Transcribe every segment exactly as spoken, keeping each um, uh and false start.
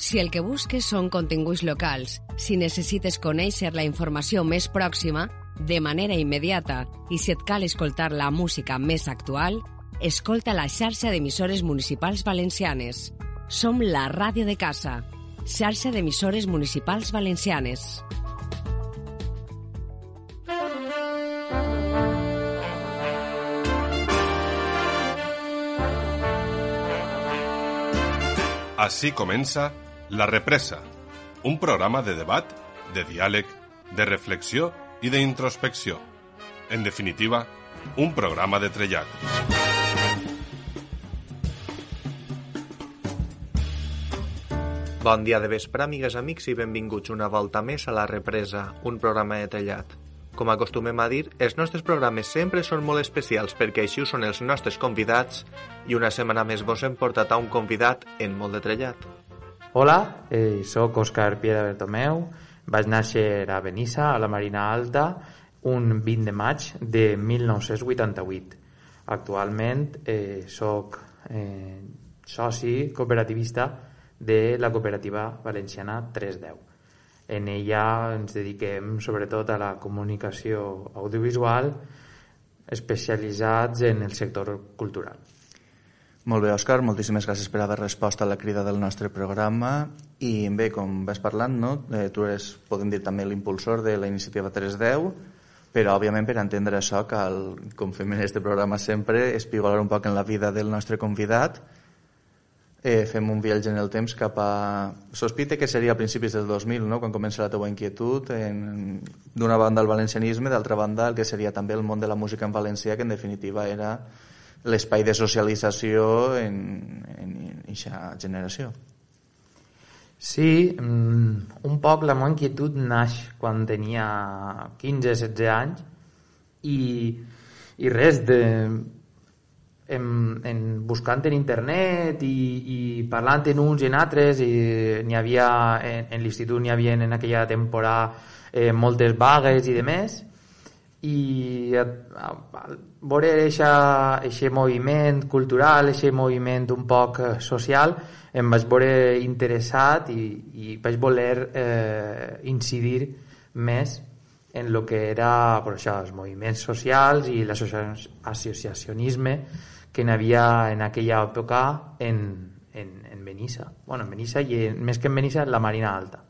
Si el que busques són continguts locals, si necessites conèixer la informació més pròxima, de manera immediata, i si et cal escoltar la música més actual, escolta la xarxa d'emissores municipals valencianes. Som la ràdio de casa, xarxa d'emissores municipals valencianes. Así comença La Represa, un programa de debat, de diàleg, de reflexió i d'introspecció. En definitiva, un programa de trellat. Bon dia de vespre, amigues, amics, i benvinguts una volta més a La Represa, un programa de trellat. Com acostumem a dir, els nostres programes sempre són molt especials perquè així ho són els nostres convidats i una setmana més vos hem portat a un convidat en molt de trellat. Hola, eh, soc Òscar Piedra Bertomeu, vaig néixer a Benissa, a la Marina Alta, un vint de maig de mil nou-cents vuitanta-vuit. Actualment eh, soc eh, soci cooperativista de la cooperativa valenciana tres deu. En ella ens dediquem sobretot a la comunicació audiovisual, especialitzats en el sector cultural. Molt bé, Òscar, moltíssimes gràcies per haver respost a la crida del nostre programa. I bé, com vas parlant, no? eh, tu eres, podem dir, també l'impulsor de la iniciativa tres deu, però òbviament per entendre això cal, com fem en este programa sempre, espigolar un poc en la vida del nostre convidat. Eh, fem un viatge en el temps cap a... Sospite que seria a principis del dos mil, no? Quan comença la teua inquietud, en... d'una banda el valencianisme, d'altra banda el que seria també el món de la música en valencià, que en definitiva era l'espai de socialització en aquesta generació. Sí, un poc la meva inquietud naix quan tenia quinze setze anys i, i res de... En, en buscant en internet i, i parlant en uns i en altres, i n'hi havia en, en l'institut n'hi havia en aquella temporada eh, moltes vagues i demés, i a, a, a veure aquest moviment cultural, aquest moviment un poc social, em vaig veure interessat i, i vaig voler eh, incidir més en el que era per això, els moviments socials i l'associacionisme que n'hi havia en aquella època en, en, en Benissa. Bueno, en Benissa i en, més que en Benissa, en la Marina Alta.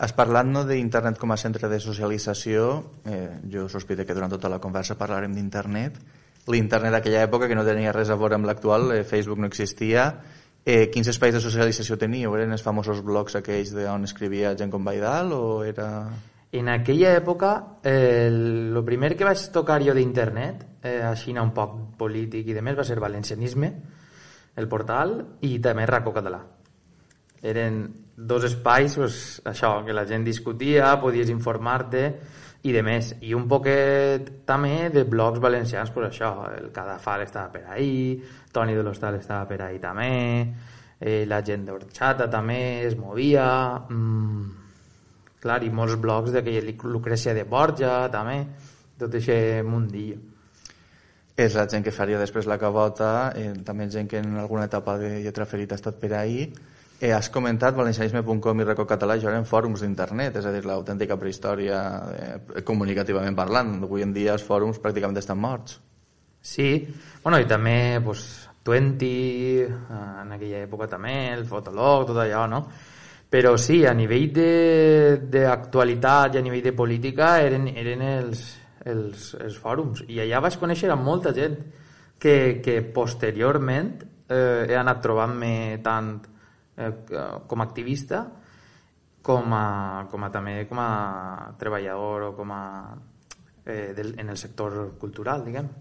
Has parlat, no, d'internet com a centre de socialització. Eh, jo sospite que durant tota la conversa parlarem d'internet. L'internet d'aquella època, que no tenia res a veure amb l'actual, eh, Facebook no existia. Eh, quins espais de socialització teníeu? Eren els famosos blogs aquells on escrivia gent com Baidal o era... En aquella època, eh, el primer que vaig tocar jo d'internet, eh, així un poc polític i demés, va ser Valencianisme, el portal, i també Racó Català. Eren dos espais, pues, això, que la gent discutia, podies informar-te i demés. I un poquet també de blogs valencians, pues això, el Cadafal estava per ahí, Toni de l'Hostal estava per ahí també, eh, la gent d'Orxata també es movia... Mmm, clar, i molts blogs d'aquella Lucrècia de Borja, també, tot aquest mundillo. És la gent que faria després la cabota, eh, també gent que en alguna etapa de lletra ferita ha estat per ahí. Eh, has comentat valencianisme punt com i Racó Català, això eren fòrums d'internet, és a dir, l'autèntica prehistòria eh, comunicativament parlant. Avui en dia els fòrums pràcticament estan morts. Sí, bueno, i també pues, Twenty, en aquella època també, el Fotolog, tot allò, no? Però sí, a nivell d'actualitat i a nivell de política eren, eren els, els, els fòrums. I allà vaig conèixer a molta gent que, que posteriorment eh, he anat trobant-me tant eh, com a activista com a, com a també com a treballador o com a, eh, del, en el sector cultural, diguem.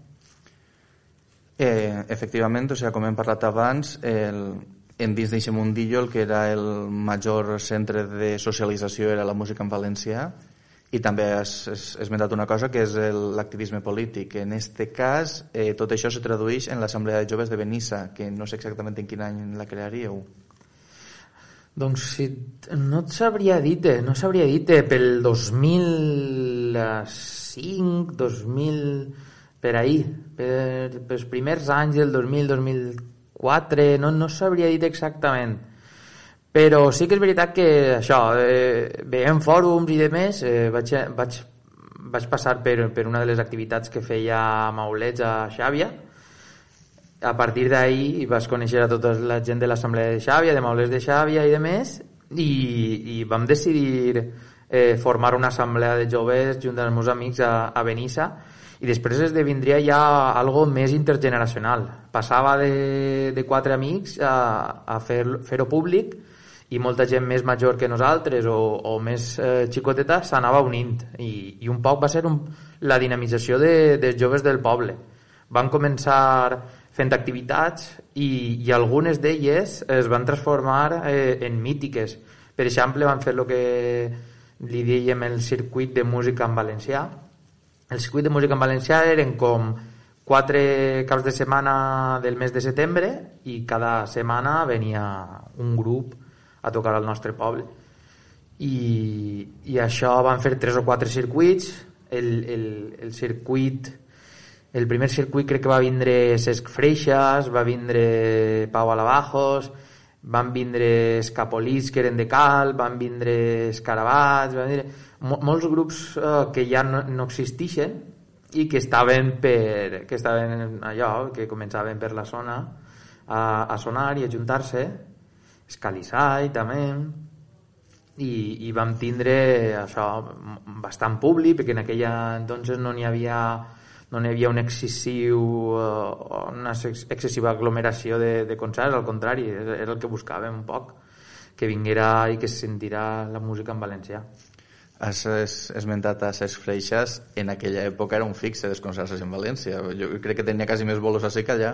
Eh, efectivament, o sigui, com hem parlat abans, el... en dins d'aquest mundillo el que era el major centre de socialització era la música en valencià, i també has, has esmentat una cosa que és l'activisme polític. En este cas eh, tot això se tradueix en l'Assemblea de Joves de Benissa, que no sé exactament en quin any la crearíeu. Doncs sí, no et sabria dir, no sabria dir pel dos mil cinc, dos mil per ahí, per, per els primers anys del dos mil, dos mil quatre, no, no sabria dir exactament, Però sí que és veritat que això, eh, veient fòrums i demés, eh, vaig, vaig, vaig passar per, per una de les activitats que feia Maulets a Xàbia. A partir d'ahir vas conèixer a tota la gent de l'assemblea de Xàbia, de Maulets de Xàbia i demés, i, i vam decidir eh, formar una assemblea de joves junt amb els meus amics a, a Benissa, i després esdevindria ja algo més intergeneracional. Passava de, de quatre amics a, a fer, fer-ho públic, i molta gent més major que nosaltres o, o més eh, xicoteta s'anava unint, i, i un poc va ser un, la dinamització de, dels joves del poble. Van començar fent activitats i, i algunes d'elles es van transformar eh, en mítiques. Per exemple, van fer el que li dèiem el circuit de música en valencià. El circuit de música en valencià eren com quatre caps de setmana del mes de setembre, i cada setmana venia un grup a tocar al nostre poble. I, i això van fer tres o quatre circuits. El, el, el circuit el primer circuit crec que va vindre Cesc Freixas, va vindre Pau Alabajos, van vindre Escapolits, que eren de Cal, van vindre Escarabats, van vindre Mol, molts grups eh, que ja no, no existeixen i que estaven per que estaven allò, que començaven per la zona a, a sonar i a juntar-se. Escalissai també, i, i vam tindre això bastant públic, perquè en aquella entonces no n'hi havia no n'hi havia un excessiu una excessiva aglomeració de, de concerts, al contrari, era el que buscàvem un poc, que vinguera i que se sentirà la música en valencià. Has esmentat a Cesc Freixas, en aquella època era un fixe dels concerts en València, jo crec que tenia quasi més bolos així que allà.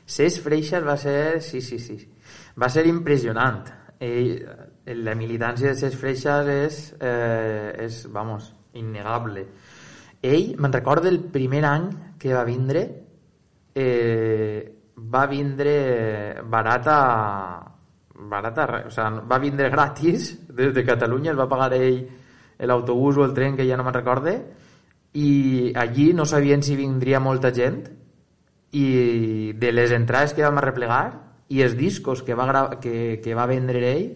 Cesc Freixas va ser, sí, sí, sí, va ser impressionant. Ell, la militància de Cesc Freixas és, eh, és, vamos, innegable. Ell, me'n recordo el primer any que va vindre, eh, va vindre barata, barata, o sea, va vindre gratis des de Catalunya, el va pagar ell l'autobús o el tren, que ja no me'n recorde, i allí no sabien si vindria molta gent, i de les entrades que vam arreplegar i els discos que va, gra- que, que va vendre ell,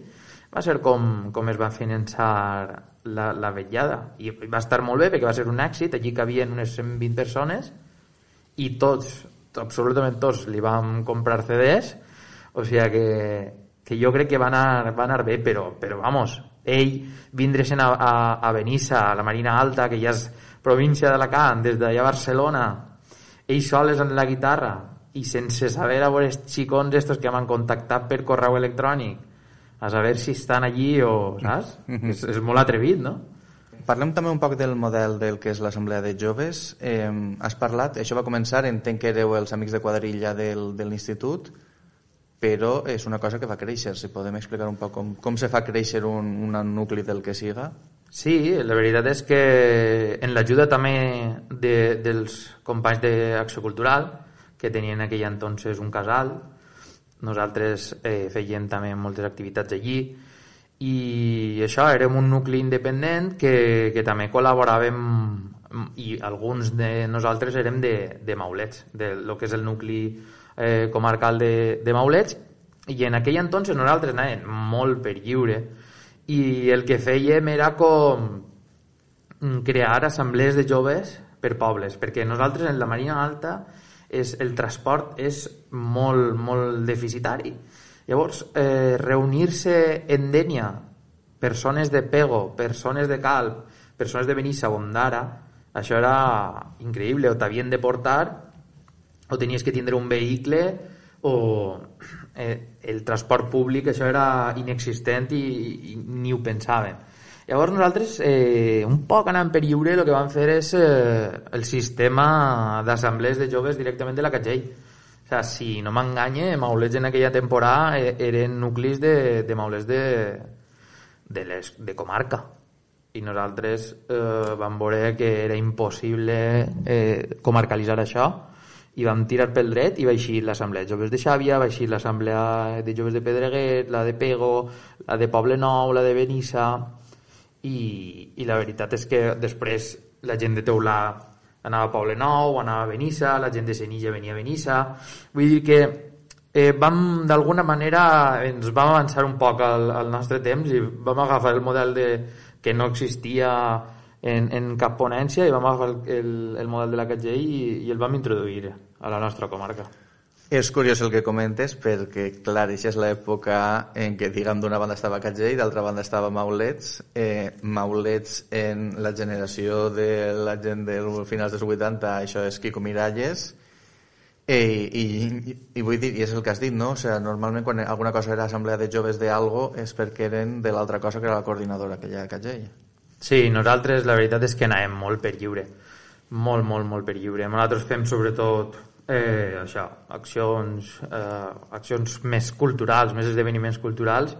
va ser com, com es va finançar la, la vetllada, i va estar molt bé perquè va ser un èxit. Allí cabien unes cent vint persones i tots, absolutament tots, li vam comprar C Ds, o sigui que, que jo crec que va anar, va anar bé, però, però vamos, ell vindre-se'n a, a, a Benissa, a la Marina Alta, que ja és província d'Alacant, des d'allà a Barcelona, ells soles en la guitarra i sense saber a veure els xicons estos que m'han contactat per correu electrònic a saber si estan allí o, saps? Mm-hmm. és, és molt atrevit, no? Parlem també un poc del model del que és l'Assemblea de Joves. Eh, has parlat, això va començar, entenc que éreu els amics de quadrilla del, de l'institut, però és una cosa que va créixer. Si podem explicar un poc com, com se fa créixer un, un nucli del que siga? Sí, la veritat és que en l'ajuda també de, dels companys d'Acció Cultural, que tenien en aquell entonces un casal, nosaltres eh, fèiem també moltes activitats allí, i això, érem un nucli independent que, que també col·laboràvem, i alguns de nosaltres érem de, de Maulets, de lo que és el nucli eh, comarcal de, de Maulets, i en aquell entonces nosaltres anàvem molt per lliure, i el que fèiem era com crear assemblees de joves per pobles, perquè nosaltres en la Marina Alta és, el transport és molt, molt deficitari. Llavors, eh, reunir-se en Dénia, persones de Pego, persones de Calp, persones de Benissa o Ondara, això era increïble, o t'havien de portar, o tenies que tindre un vehicle, o eh, el transport públic, això era inexistent i, i ni ho pensàvem. Llavors nosaltres, eh, un poc anant per lliure, el que vam fer és eh, el sistema d'assemblees de joves directament de la Catxell. O sigui, si no m'enganye, Maulets en aquella temporada eren nuclis de, de Maulets de, de, les, de comarca. I nosaltres eh, vam veure que era impossible eh, comarcalitzar això, i vam tirar pel dret i va eixir l'Assemblea de Joves de Xàbia, va eixir l'Assemblea de Joves de Pedreguer, la de Pego, la de Poble Nou, la de Benissa, i, i la veritat és que després la gent de Teulà anava a Poble Nou, anava a Benissa, la gent de Senilla venia a Benissa. Vull dir que eh, vam, d'alguna manera, ens vam avançar un poc al, al nostre temps i vam agafar el model de, que no existia en, en cap ponència, i vam agafar el, el, el model de la Catgell i, i el vam introduir a la nostra comarca. És curiós el que comentes perquè, clar, això és l'època en què, diguem, d'una banda estava Catgell i d'altra banda estava Maulets. Eh, Maulets, en la generació de la gent dels finals dels vuitanta, això és Quico Miralles. Eh, i, i, i vull dir, i és el que has dit, no? O sea, normalment quan alguna cosa era assemblea de joves d'algo és perquè eren de l'altra cosa que era la coordinadora aquella de Catgell. Sí, nosaltres la veritat és que anàvem molt per lliure. Molt, molt, molt per lliure. Nosaltres fem sobretot Eh, això, accions eh, accions més culturals, més esdeveniments culturals,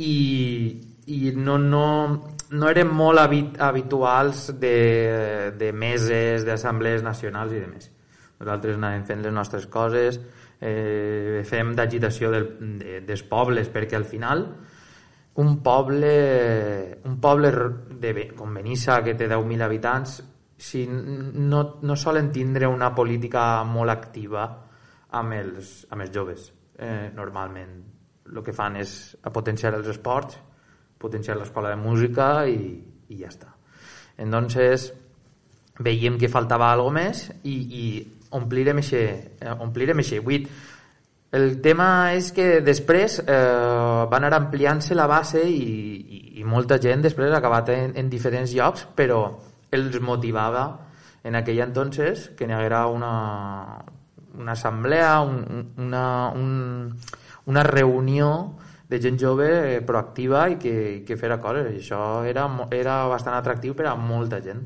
i, i no, no, no érem molt habit, habituals de, de meses, d'assemblees nacionals i de més. Nosaltres anàvem fent les nostres coses, eh, fem d'agitació del, de, dels pobles, perquè al final un poble un poble de, com Benissa, que té deu mil habitants, si no, no solen tindre una política molt activa amb els, amb els joves. Eh, normalment el que fan és potenciar els esports, potenciar l'escola de música i, i ja està. Entonces veiem que faltava alguna més i, i omplirem eixe, omplirem eixe buit. El tema és que després eh, va anar ampliant-se la base i, i, i molta gent després ha acabat en, en diferents llocs, però els motivava en aquell entonces que n'hi haguera una, una assemblea, un, una, un, una reunió de gent jove proactiva i que, que fera coses. I això era, era bastant atractiu per a molta gent.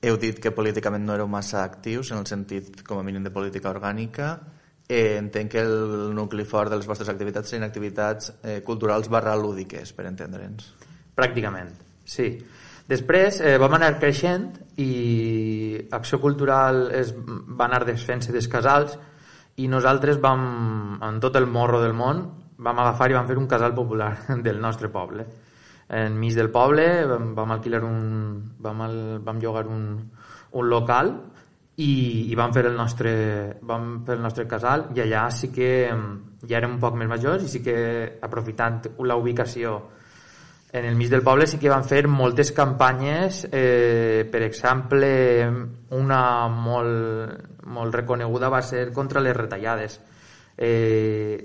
Heu dit que políticament no éreu massa actius, en el sentit, com a mínim, de política orgànica. Eh, entenc que el nucli fort de les vostres activitats serien activitats eh, culturals barra lúdiques, per entendre'ns. Pràcticament, sí. Després eh, vam anar creixent i Acció Cultural es va anar desfent-se dels casals i nosaltres vam, en tot el morro del món, vam agafar i vam fer un casal popular del nostre poble. Enmig del poble vam, vam alquilar un... vam, al, vam llogar un, un local i, i vam fer el nostre vam fer el nostre casal, i allà sí que ja érem un poc més majors i sí que, aprofitant la ubicació en el mig del poble, sí que van fer moltes campanyes, eh, per exemple, una molt, molt reconeguda va ser contra les retallades. Eh,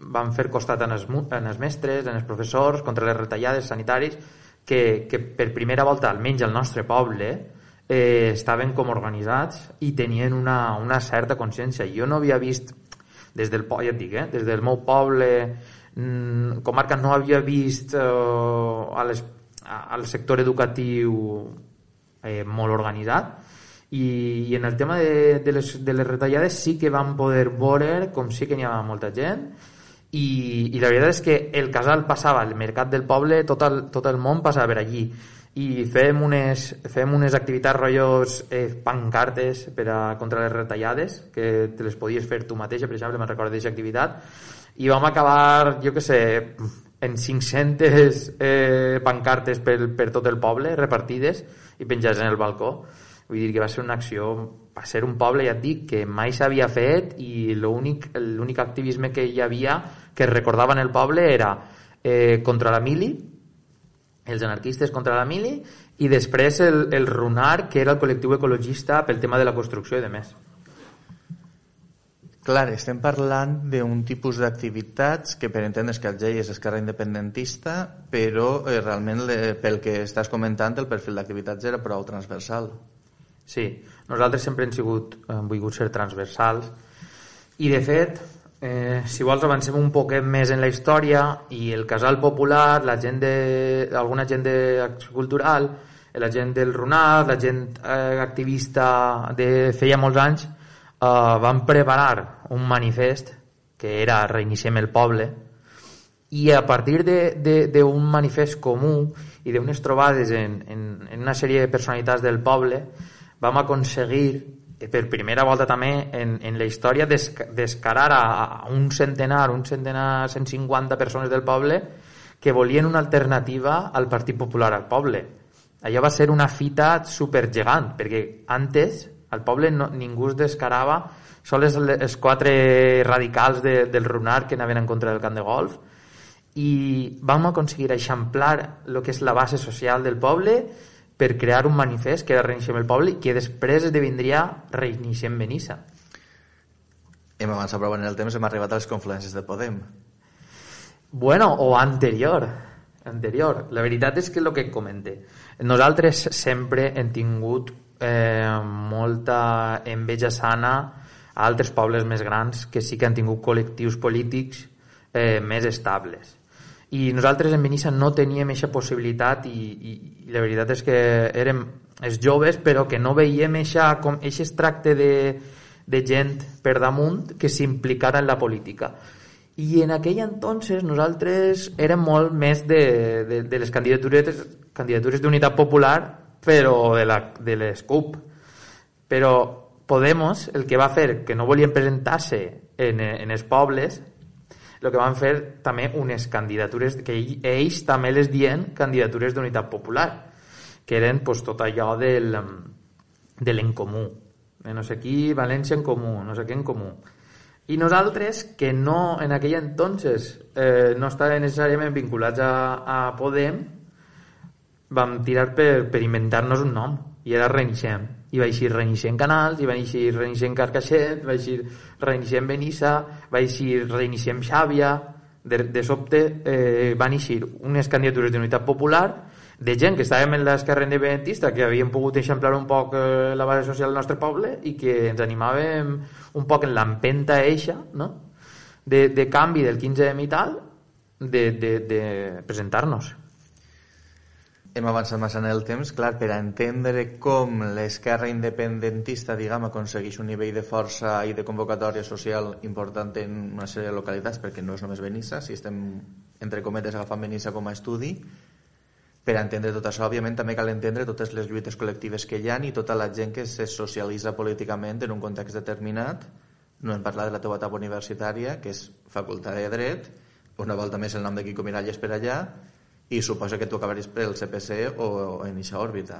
van fer costat en els, en els mestres, en els professors, contra les retallades sanitaris, que, que per primera volta, almenys al nostre poble, eh, estaven com organitzats i tenien una, una certa consciència. Jo no havia vist, des del, ja et dic, eh, des del meu poble, comarca, no havia vist eh, a les, a, al sector educatiu eh, molt organitzat, i, i en el tema de, de, les, de les retallades sí que vam poder veure com sí que n'hi havia molta gent, i, i la veritat és que el casal passava, el mercat del poble, tot el, tot el món passava per allí, i fem unes, fem unes activitats rotllos, eh, pancartes per a, contra les retallades, que te les podies fer tu mateixa, per exemple, me'n recordo d'aquesta activitat, i vam acabar, jo què sé, en cinc-centes eh, pancartes per, per tot el poble, repartides i penjades en el balcó. Vull dir que va ser una acció, va ser un poble, ja et dic, que mai s'havia fet, i l'únic l'únic activisme que hi havia, que es recordava en el poble, era eh, contra la mili, els anarquistes contra la mili, i després el, el RUNAR, que era el col·lectiu ecologista pel tema de la construcció i de més. Clar, estem parlant d'un tipus d'activitats que, per entendre's, que Catgell és esquerra independentista, però eh, realment, le, pel que estàs comentant, el perfil d'activitats era prou transversal. Sí, nosaltres sempre hem sigut, hem volgut ser transversals, i de fet, eh, si vols avancem un poquet més en la història, i el casal popular, la gent de, alguna gent d'acció cultural, la gent del RUNAR, la gent eh, activista de feia molts anys, Uh, van preparar un manifest que era Reiniciem el poble, i a partir d'un manifest comú i d'unes trobades en, en, en una sèrie de personalitats del poble vam aconseguir, per primera volta també en, en la història, des, descarar a, a un centenar, un centenar, cent cinquanta persones del poble que volien una alternativa al Partit Popular al poble. Allò va ser una fita supergegant, perquè antes Al poble no, ningú es descarava, sols els quatre radicals de, del Runar que anaven en contra del camp de golf, i vam aconseguir eixamplar el que és la base social del poble per crear un manifest que era Reiniciem el poble, que després esdevindria Reiniciem Benissa. Hem avançat prou en el temps, hem arribat a les confluències de Podem. Bueno, o anterior. Anterior. La veritat és que el que comente. Nosaltres sempre hem tingut eh, molta enveja sana a altres pobles més grans que sí que han tingut col·lectius polítics eh, més estables. I nosaltres en Benissa no teníem aquesta possibilitat i, i, i la veritat és que érem els joves però que no veiem aquest tracte de, de gent per damunt que s'implicara en la política. I en aquell entonces nosaltres érem molt més de, de, de les candidatures candidatures d'unitat popular, però de, la, de les C U P. Però Podemos, el que va fer que no volien presentar-se en, en els pobles, el que van fer també unes candidatures que ells també les dien candidatures d'unitat popular, que eren pues, tot allò del, de l'encomú. No sé qui, València en comú, no sé què en comú. I nosaltres, que no en aquell entonces eh, no estaven necessàriament vinculats a, a Podem, vam tirar per, per inventar-nos un nom, i era Reiniciem. I va eixir Reiniciem Canals, i va eixir Reiniciem Carcaixet, va eixir Reiniciem Benissa, va eixir Reiniciem Xàbia. De, de sobte eh, van eixir unes candidatures d'unitat popular de gent que estàvem en l'esquerra independentista, que havíem pogut eixamplar un poc eh, la base social del nostre poble i que ens animàvem un poc en l'empenta eixa, no? de, de canvi del quinze eme i tal, de, de, de presentar-nos. Hem avançat massa en el temps, clar, per a entendre com l'esquerra independentista, diguem, aconsegueix un nivell de força i de convocatòria social important en una sèrie de localitats, perquè no és només Benissa, si estem, entre cometes, agafant Benissa com a estudi. Per a entendre tot això, òbviament, també cal entendre totes les lluites col·lectives que hi ha i tota la gent que se socialitza políticament en un context determinat. No hem parlat de la teva etapa universitària, que és Facultat de Dret, una volta més el nom de Quico Miralles per allà, i suposa que tu acabaries pel C P C o, o en eixa òrbita.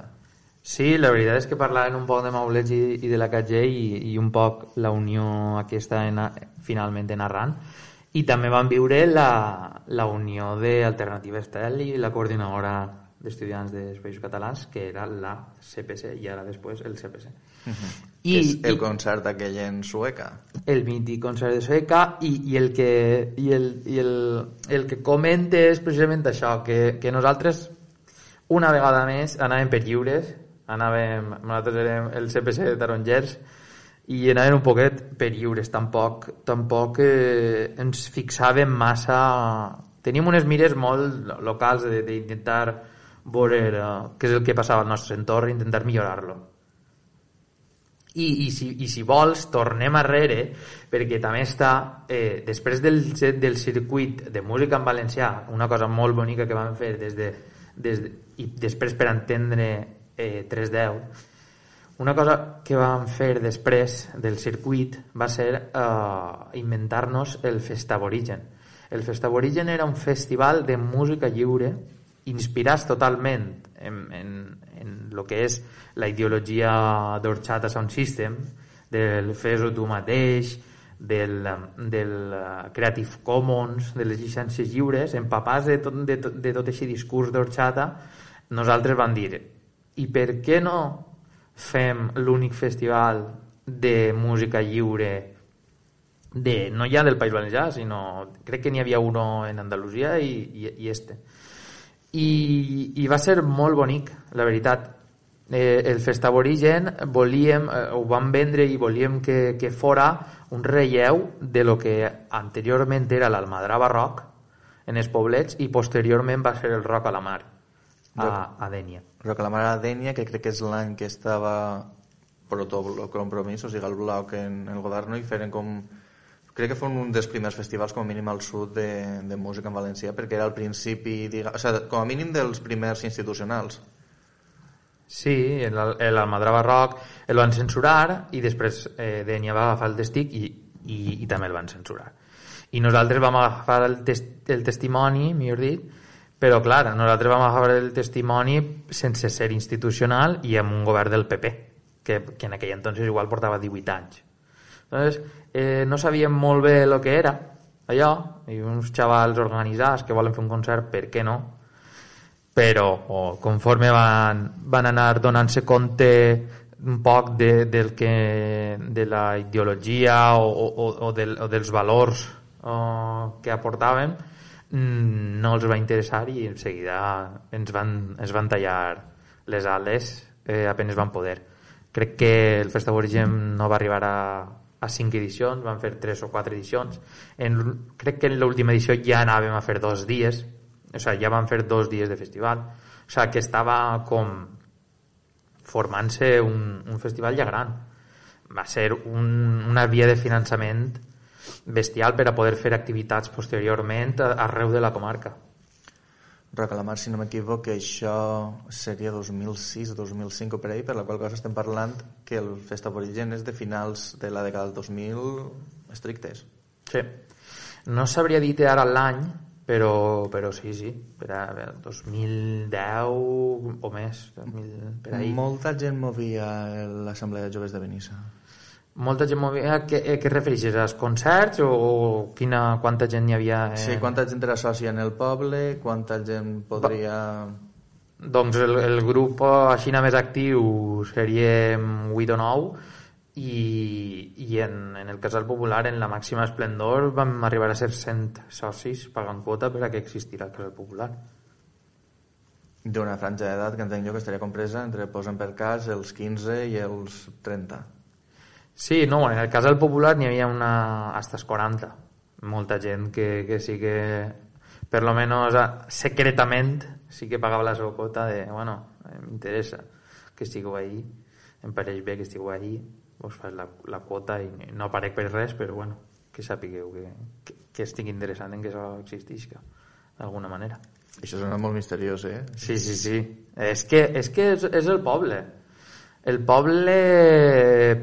Sí, la veritat és que parlaven un poc de Maulets i, i de la K G i, i un poc la unió aquesta en, finalment en Arran, i també van viure la, la unió d'Alternativa Estel i la coordinadora d'estudiants dels Països Catalans, que era la C P C i ara després el C P C. Uh-huh. I, que és el i, concert aquell en Sueca. El mític concert de Sueca, i, i, el, que, i, el, i el, el que comenta és precisament això, que, que nosaltres una vegada més anàvem per lliures, anàvem, nosaltres érem el C P C de Tarongers, i anàvem un poquet per lliures, tampoc, tampoc eh, ens fixàvem massa, teníem unes mires molt locals d'intentar veure eh, què és el que passava al nostre entorn, intentar millorar-lo. I, i, si, i si vols tornem arrere, perquè també està eh, després del, del circuit de música en valencià, una cosa molt bonica que vam fer des de, des de, i després per entendre eh, tres deu, una cosa que vam fer després del circuit va ser eh, inventar-nos el Festaborigen. El Festaborigen era un festival de música lliure inspirats totalment en, en, en el que és la ideologia d'Orxata Sound System, del fes-ho tu mateix, del, del Creative Commons, de les llicències lliures, empapats de tot, de, tot, de tot aquest discurs d'Orxata, nosaltres vam dir, i per què no fem l'únic festival de música lliure de, no ja del País Valencià, sinó crec que n'hi havia uno en Andalusia i, i, i este. I, i va ser molt bonic, la veritat. Eh, el Festaborigen volíem, eh, ho vam vendre i volíem que, que fora un relleu de lo que anteriorment era l'Almadrava Rock en els poblets i posteriorment va ser el Rock a la Mar a, a Dénia. Rock a la Mar a Dénia, que crec que és l'any que estava Protobloc Compromís, o sigui el bloc en el govern, i feren com... Crec que fue un dels primers festivals com a mínim al sud de, de música en valencià, perquè era al principi, diga, o sigui, com a mínim dels primers institucionals. Sí, l'Almadrava Rock el van censurar i després eh, Dénia va agafar el testic i, i, i també el van censurar. I nosaltres vam agafar el, test, el testimoni, millor dit, però clar, nosaltres vam agafar el testimoni sense ser institucional i amb un govern del P P, que, que en aquell entonces igual portava divuit anys. Entonces, eh, no sabíem molt bé el que era allò, i uns xavals organitzats que volen fer un concert, per què no? Però oh, conforme van, van anar donant-se compte un poc de, del que, de la ideologia o, o, o, del, o dels valors oh, que aportaven, no els va interessar i en seguida ens van, ens van tallar les ales eh, apenas van poder. Crec que el Festival Origen no va arribar a, a cinc edicions, van fer tres o quatre edicions. En, crec que en l'última edició ja anàvem a fer dos dies, o sigui, ja van fer dos dies de festival, o sigui, que estava com formant-se un, un festival ja gran. Va ser un, una via de finançament bestial per a poder fer activitats posteriorment arreu de la comarca. Rocalamar, si no m'equivoc, que això seria dos mil sis dos mil cinc o per ahí, per la qual cosa estem parlant que el Festival Origen és de finals de la dècada del dos mil estrictes. Sí. No sabria dir ara l'any, però, però sí, sí, per a dos mil deu o més, dos mil, per ahí. Molta gent movia l'Assemblea de Joves de Benissa. Molta gent movia... Què, què et refereixes? Als concerts o quina, quanta gent hi havia? En... Sí, quanta gent era sòcia en el poble, quanta gent podria... Doncs el, el grup així més actiu seria vuit o nou i, i en, en el Casal Popular, en la màxima esplendor, vam arribar a ser cent socis pagant quota per a que existirà el Casal Popular. D'una franja d'edat que entenc jo que estaria compresa entre, posen per cas, els quinze i els trenta. Sí, no, en el Casal Popular n'hi havia una hasta els quaranta. Molta gent que, que sí que, per lo menos secretament, sí que pagava la seva quota de, bueno, m'interessa que estigueu ahí, em pareix bé que estigueu ahí, vos fas la, la quota i no aparec per res, però bueno, que sapigueu que, que, que estigui interessant en que això existisca, d'alguna manera. Això sona molt misteriós, eh? Sí, sí, sí. És que és, que és, és el poble. El poble,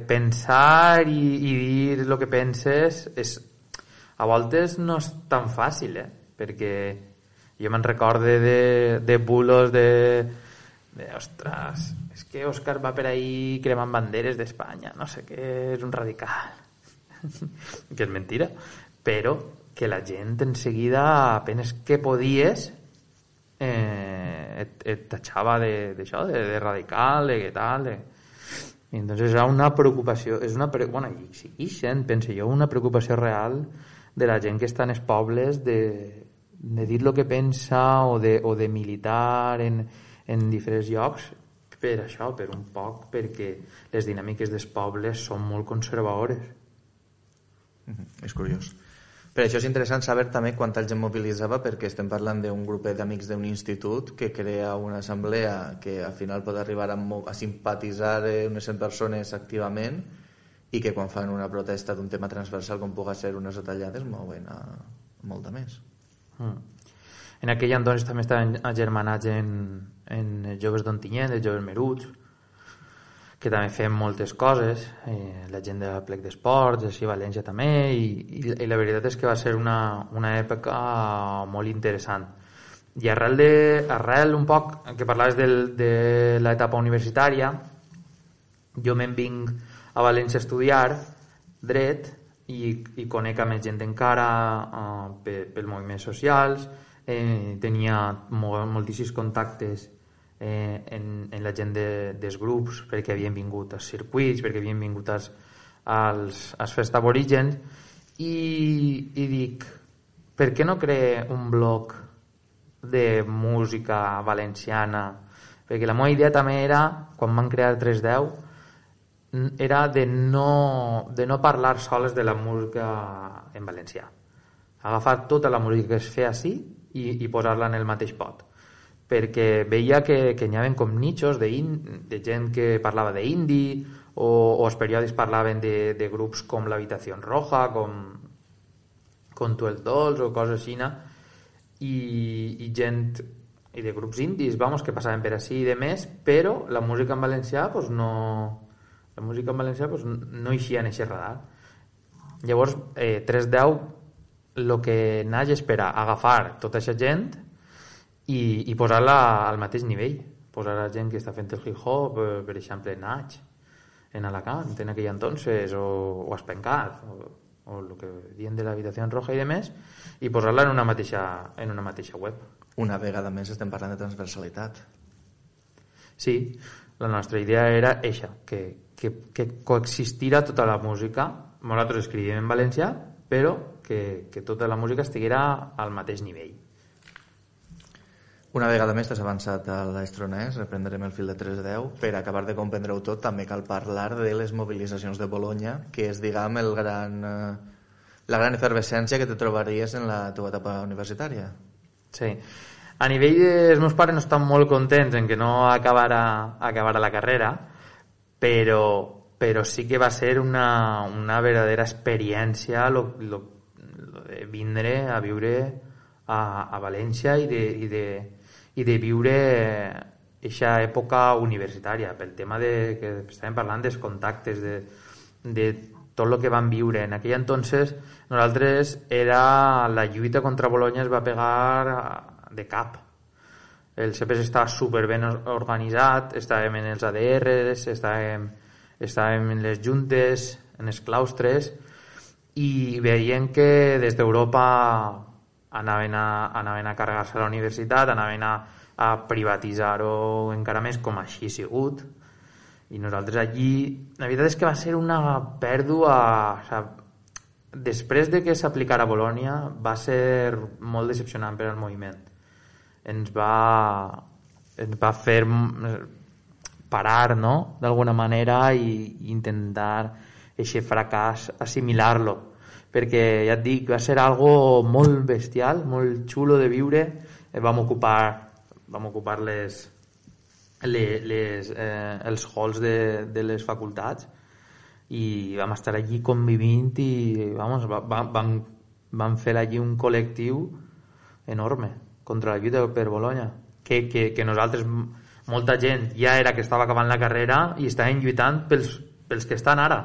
pensar i, i dir el que penses és, a voltes no és tan fàcil, eh? Perquè jo me'n recorde de, de bulos de, de ostres, és que Òscar va per ahí cremant banderes d'Espanya, no sé què, és un radical que és mentira, però que la gent en seguida apenas que podies eh, et, et tachava d'això, de, de, de radical, de què tal, de... I entonces era una preocupació, és una pre... bueno, i segueixen, penso jo, una preocupació real de la gent que està en els pobles de, de dir el que pensa o de, o de militar en, en diferents llocs per això, per un poc, perquè les dinàmiques dels pobles són molt conservadores. Mm-hmm. És curiós. Per això és interessant saber també quanta gent mobilitzava, perquè estem parlant d'un grup d'amics d'un institut que crea una assemblea que al final pot arribar a, a simpatitzar unes cent persones activament i que quan fan una protesta d'un tema transversal com pugui ser unes retallades mouen a molta més. Mm. En aquell entonces també estaven agermanats en, en Joves d'Ontinyent, els Joves Meruts, que també fem moltes coses, eh, la gent de Plec d'Esports, així a València també, i, i, i la veritat és que va ser una, una època molt interessant. I arrel, de, arrel un poc, que parlaves del, de l'etapa universitària, jo me'n vinc a València a estudiar dret i, i conec a més gent encara eh, pel, pel moviments socials, eh, tenia molt, moltíssims contactes Eh, en, en la gent de, dels grups perquè havien vingut als circuits, perquè havien vingut als, als, als Festival Origen i, i dic, per què no crear un bloc de música valenciana? Perquè la meva idea també era, quan van crear tres deu, era de no, de no parlar soles de la música en valencià, agafar tota la música que es feia així i, i posar-la en el mateix pot, perquè veia que, que n'hi havia com nichos de, in, de gent que parlava d'indie o, o els periòdics parlaven de, de grups com l'Habitació Roja, com, com Tu el Dolç o coses així, i, i gent i de grups indis, vamos, que passaven per així i de més, però la música en valencià pues, no la música en valencià pues, no eixia en aquest radar. Llavors eh, tres deu el que naix és per a agafar tota aquesta gent i, i posar-la al mateix nivell, posar la gent que està fent el hip hop, per exemple Nach, en Alacant, en aquell entonces, o, o a Espencat, o, o el que diuen de l'habitació roja i demés, i posar-la en una mateixa, en una mateixa web. Una vegada més estem parlant de transversalitat. Sí, la nostra idea era eixa, que, que, que coexistirà tota la música. Nosaltres escrivim en valencià, però que, que tota la música estiguera al mateix nivell. Una vegada més t'has avançat a l'estronès, reprendrem el fil de tres deu. Per acabar de comprendre-ho tot, també cal parlar de les mobilitzacions de Bolonya, que és, diguem, el gran, eh, la gran efervescència que te trobaries en la teva etapa universitària. Sí. A nivell de... Els meus pares no estan molt contents en que no acabara, acabara la carrera, però, però sí que va ser una, una verdadera experiència lo, lo, lo de vindre a viure a, a València i de, i de, i de viure aquesta època universitària, pel tema de, que estàvem parlant dels contactes, de, de tot el que vam viure. En aquell entonces, nosaltres, era la lluita contra Bolonya es va pegar de cap. El C P S estava superben organitzat, estàvem en els A D Rs, estàvem, estàvem en les juntes, en els claustres, i veient que des d'Europa anaven a, anaven a carregar-se a la universitat, anaven a, a privatitzar-ho encara més, com així ha sigut. I nosaltres allí, la veritat és que va ser una pèrdua, o sigui, després de que s'aplicara a Bolònia va ser molt decepcionant per al moviment. Ens va, ens va fer parar, no?, d'alguna manera, i intentar aquest fracàs assimilar-lo, perquè ja et dic, va ser algo molt bestial, molt xulo de viure. Vam ocupar vam ocupar les, les, les, eh, els halls de, de les facultats i vam estar allí convivint i vamos, va, va, vam, vam fer allí un col·lectiu enorme contra la lluita per Bolonya, que, que, que nosaltres, molta gent ja era que estava acabant la carrera i estaven lluitant pels, pels que estan ara,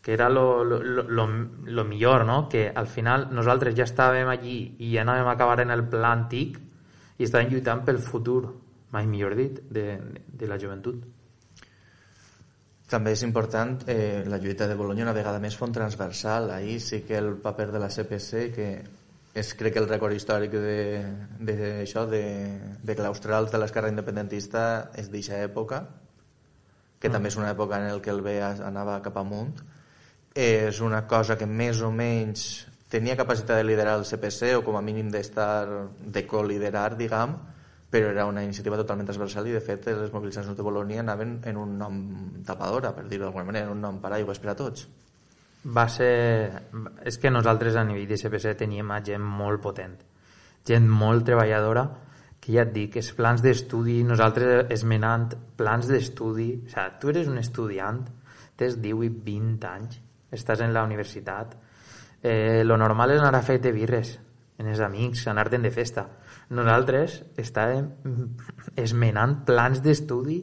que era lo, lo, lo, lo millor, no? Que al final nosaltres ja estàvem allí i ja anàvem a acabar en el pla antic i estàvem lluitant pel futur, mai millor dit, de, de la joventut. També és important eh, la lluita de Bolonya una vegada més font transversal. Ahir sí que el paper de la C P C, que és crec que el rècord històric de, de, això, de, de claustrals de l'esquerra independentista és d'eixa època, que mm. també és una època en què el B E A anava cap amunt. És una cosa que més o menys tenia capacitat de liderar el C P C, o com a mínim d'estar, de col·liderar, diguem, però era una iniciativa totalment transversal i de fet les mobilitzacions de Bolonia anaven en un nom tapadora, per dir-ho d'alguna manera, en un nom paraigües per a tots. Va ser... És que nosaltres a nivell de C P C teníem gent molt potent, gent molt treballadora, que ja et dic, els plans d'estudi, nosaltres esmenant plans d'estudi, o sigui, tu eres un estudiant, tens divuit i vint anys, estàs en la universitat, eh, lo normal és anar a fer-te birres en els amics, anar-te'n de festa. Nosaltres estàvem esmenant plans d'estudi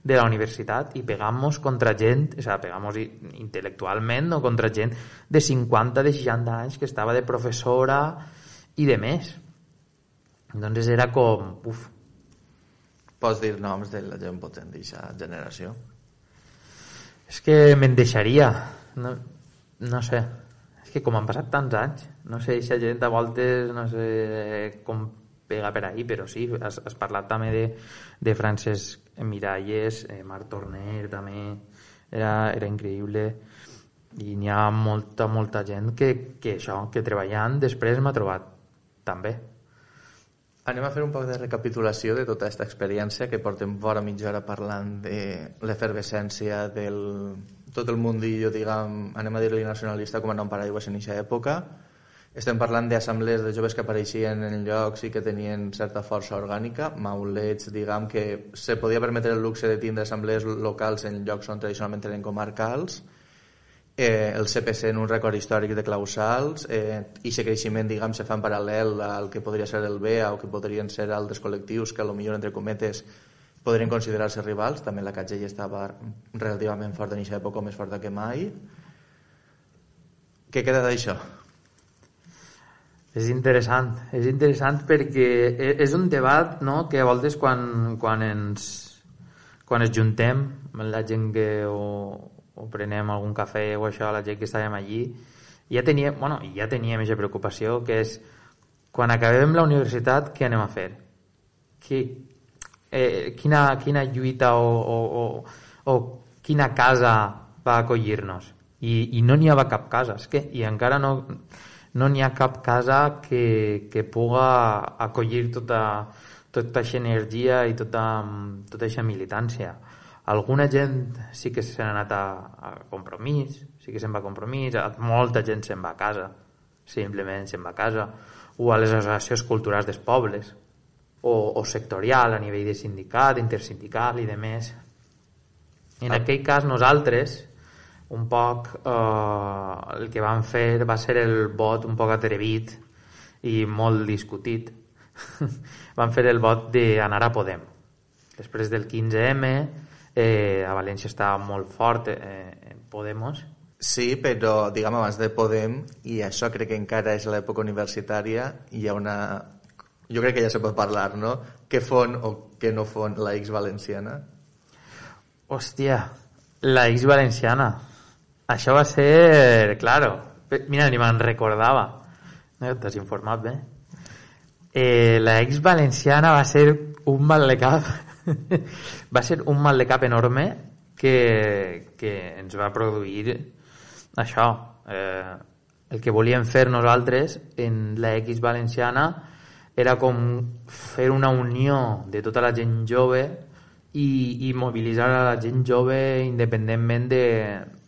de la universitat i pegant-nos contra gent, o sigui, pegant-nos intel·lectualment, o contra gent de cinquanta, de seixanta anys que estava de professora i de més. Doncs era com... Uf. Pots dir noms de la gent potent d'aquesta generació? És que me'n deixaria. No, no sé. És que com han passat tants anys, no sé, aquesta gent a voltes, no sé com pega per ahí, però sí, has, has parlat també de, de Francesc Miralles, eh, Marc Torner també, era, era increïble, i n'hi ha molta, molta gent que, que això, que treballant després m'ha trobat també. Anem a fer un poc de recapitulació de tota aquesta experiència que portem vora mitja hora parlant de l'efervescència del tot el mundillo, diguem, anem a dir-li nacionalista com a nom paraigües en aquesta època. Estem parlant d'assemblees de joves que apareixien en llocs i que tenien certa força orgànica, maulets, diguem, que se podia permetre el luxe de tindre assemblees locals en llocs on tradicionalment eren comarcals, eh, el C P C en un rècord històric de clausals, eh, i aquest creixement, diguem, se fa en paral·lel al que podria ser el B E A o que podrien ser altres col·lectius que a lo millor, entre cometes, podrien considerar-se rivals. També la C A T G estava relativament forta en aquesta època, més forta que mai. Què queda d'això? És interessant, és interessant perquè és un debat, no?, que a voltes quan, quan ens quan es juntem, la gent que o, o prenem algun cafè o això, la gent que estàvem allí, ja teníem, bueno, ja teníem aquesta preocupació, que és quan acabem la universitat, què anem a fer? Qui, eh, quina, quina lluita o, o, o, o quina casa va acollir-nos? I, i no n'hi havia cap casa, és que, i encara no, no n'hi ha cap casa que, que puga acollir tota tota aquesta energia i tota, tota aquesta militància. Alguna gent sí que s'ha anat a, a Compromís, sí que se'n va a Compromís, molta gent se'n va a casa, simplement se'n va a casa, o a les associacions culturals dels pobles, o, o sectorial, a nivell de sindicat, intersindical i de més. En ah. aquell cas nosaltres, un poc, eh, el que vam fer va ser el vot un poc atrevit i molt discutit. Van fer el vot d'anar a Podem. Després del quinze eme, eh, a València estava molt fort eh, Podemos. Sí, però diguem abans de Podem, i això crec que encara és l'època universitària, hi ha una... Jo crec que ja se pot parlar, no? Què fon o què no fon la X valenciana? Hòstia, la X valenciana. Això va ser... Claro, mira, ni me'n recordava. No, t'has informat bé. Eh, la X valenciana va ser un mal de cap va ser un mal de cap enorme que, que ens va produir això, eh, el que volíem fer nosaltres en la X valenciana era com fer una unió de tota la gent jove i, i mobilitzar a la gent jove independentment de,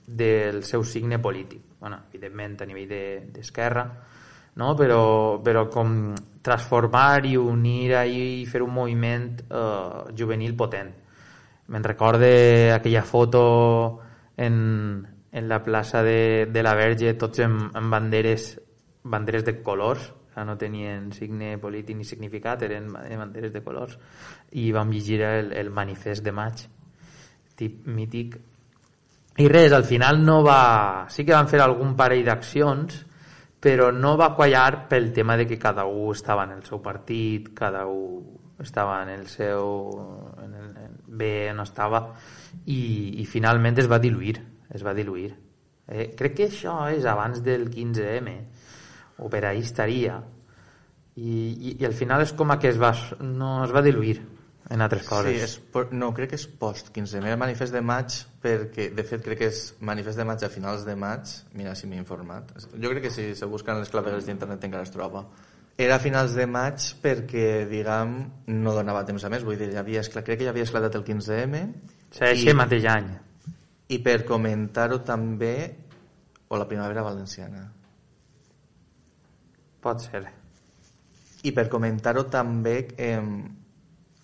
del seu signe polític, bueno, evidentment a nivell d'esquerra, no? però, però com transformar i unir i fer un moviment eh, juvenil potent. Me'n recorde aquella foto en, en la plaça de, de la Verge, tots amb, amb banderes, banderes de colors, no tenien signe polític ni significat, eren banderes de colors, i vam llegir el, el manifest de maig, tip mític. I res, al final no va... Sí que van fer algun parell d'accions, però no va quallar pel tema de que cada un estava en el seu partit, cada un estava en el seu... En el, en, bé, no estava, i, i finalment es va diluir, es va diluir. Eh, crec que això és abans del quinze eme, o per ahí estaria, i, i, i al final és com que es va, no, es va diluir en altres coses. Sí, és, no, crec que és post quinze eme, el manifest de maig, perquè de fet crec que és manifest de maig a finals de maig, mira si m'he informat, jo crec que si se busquen les clavegues d'internet encara es troba. Era a finals de maig perquè, diguem, no donava temps a més, vull dir, ja havia esclat, crec que ja havia esclatat el quinze eme. Sí, aquest mateix any. I per comentar-ho també, o la primavera valenciana. Pot ser. I per comentar-ho també, eh,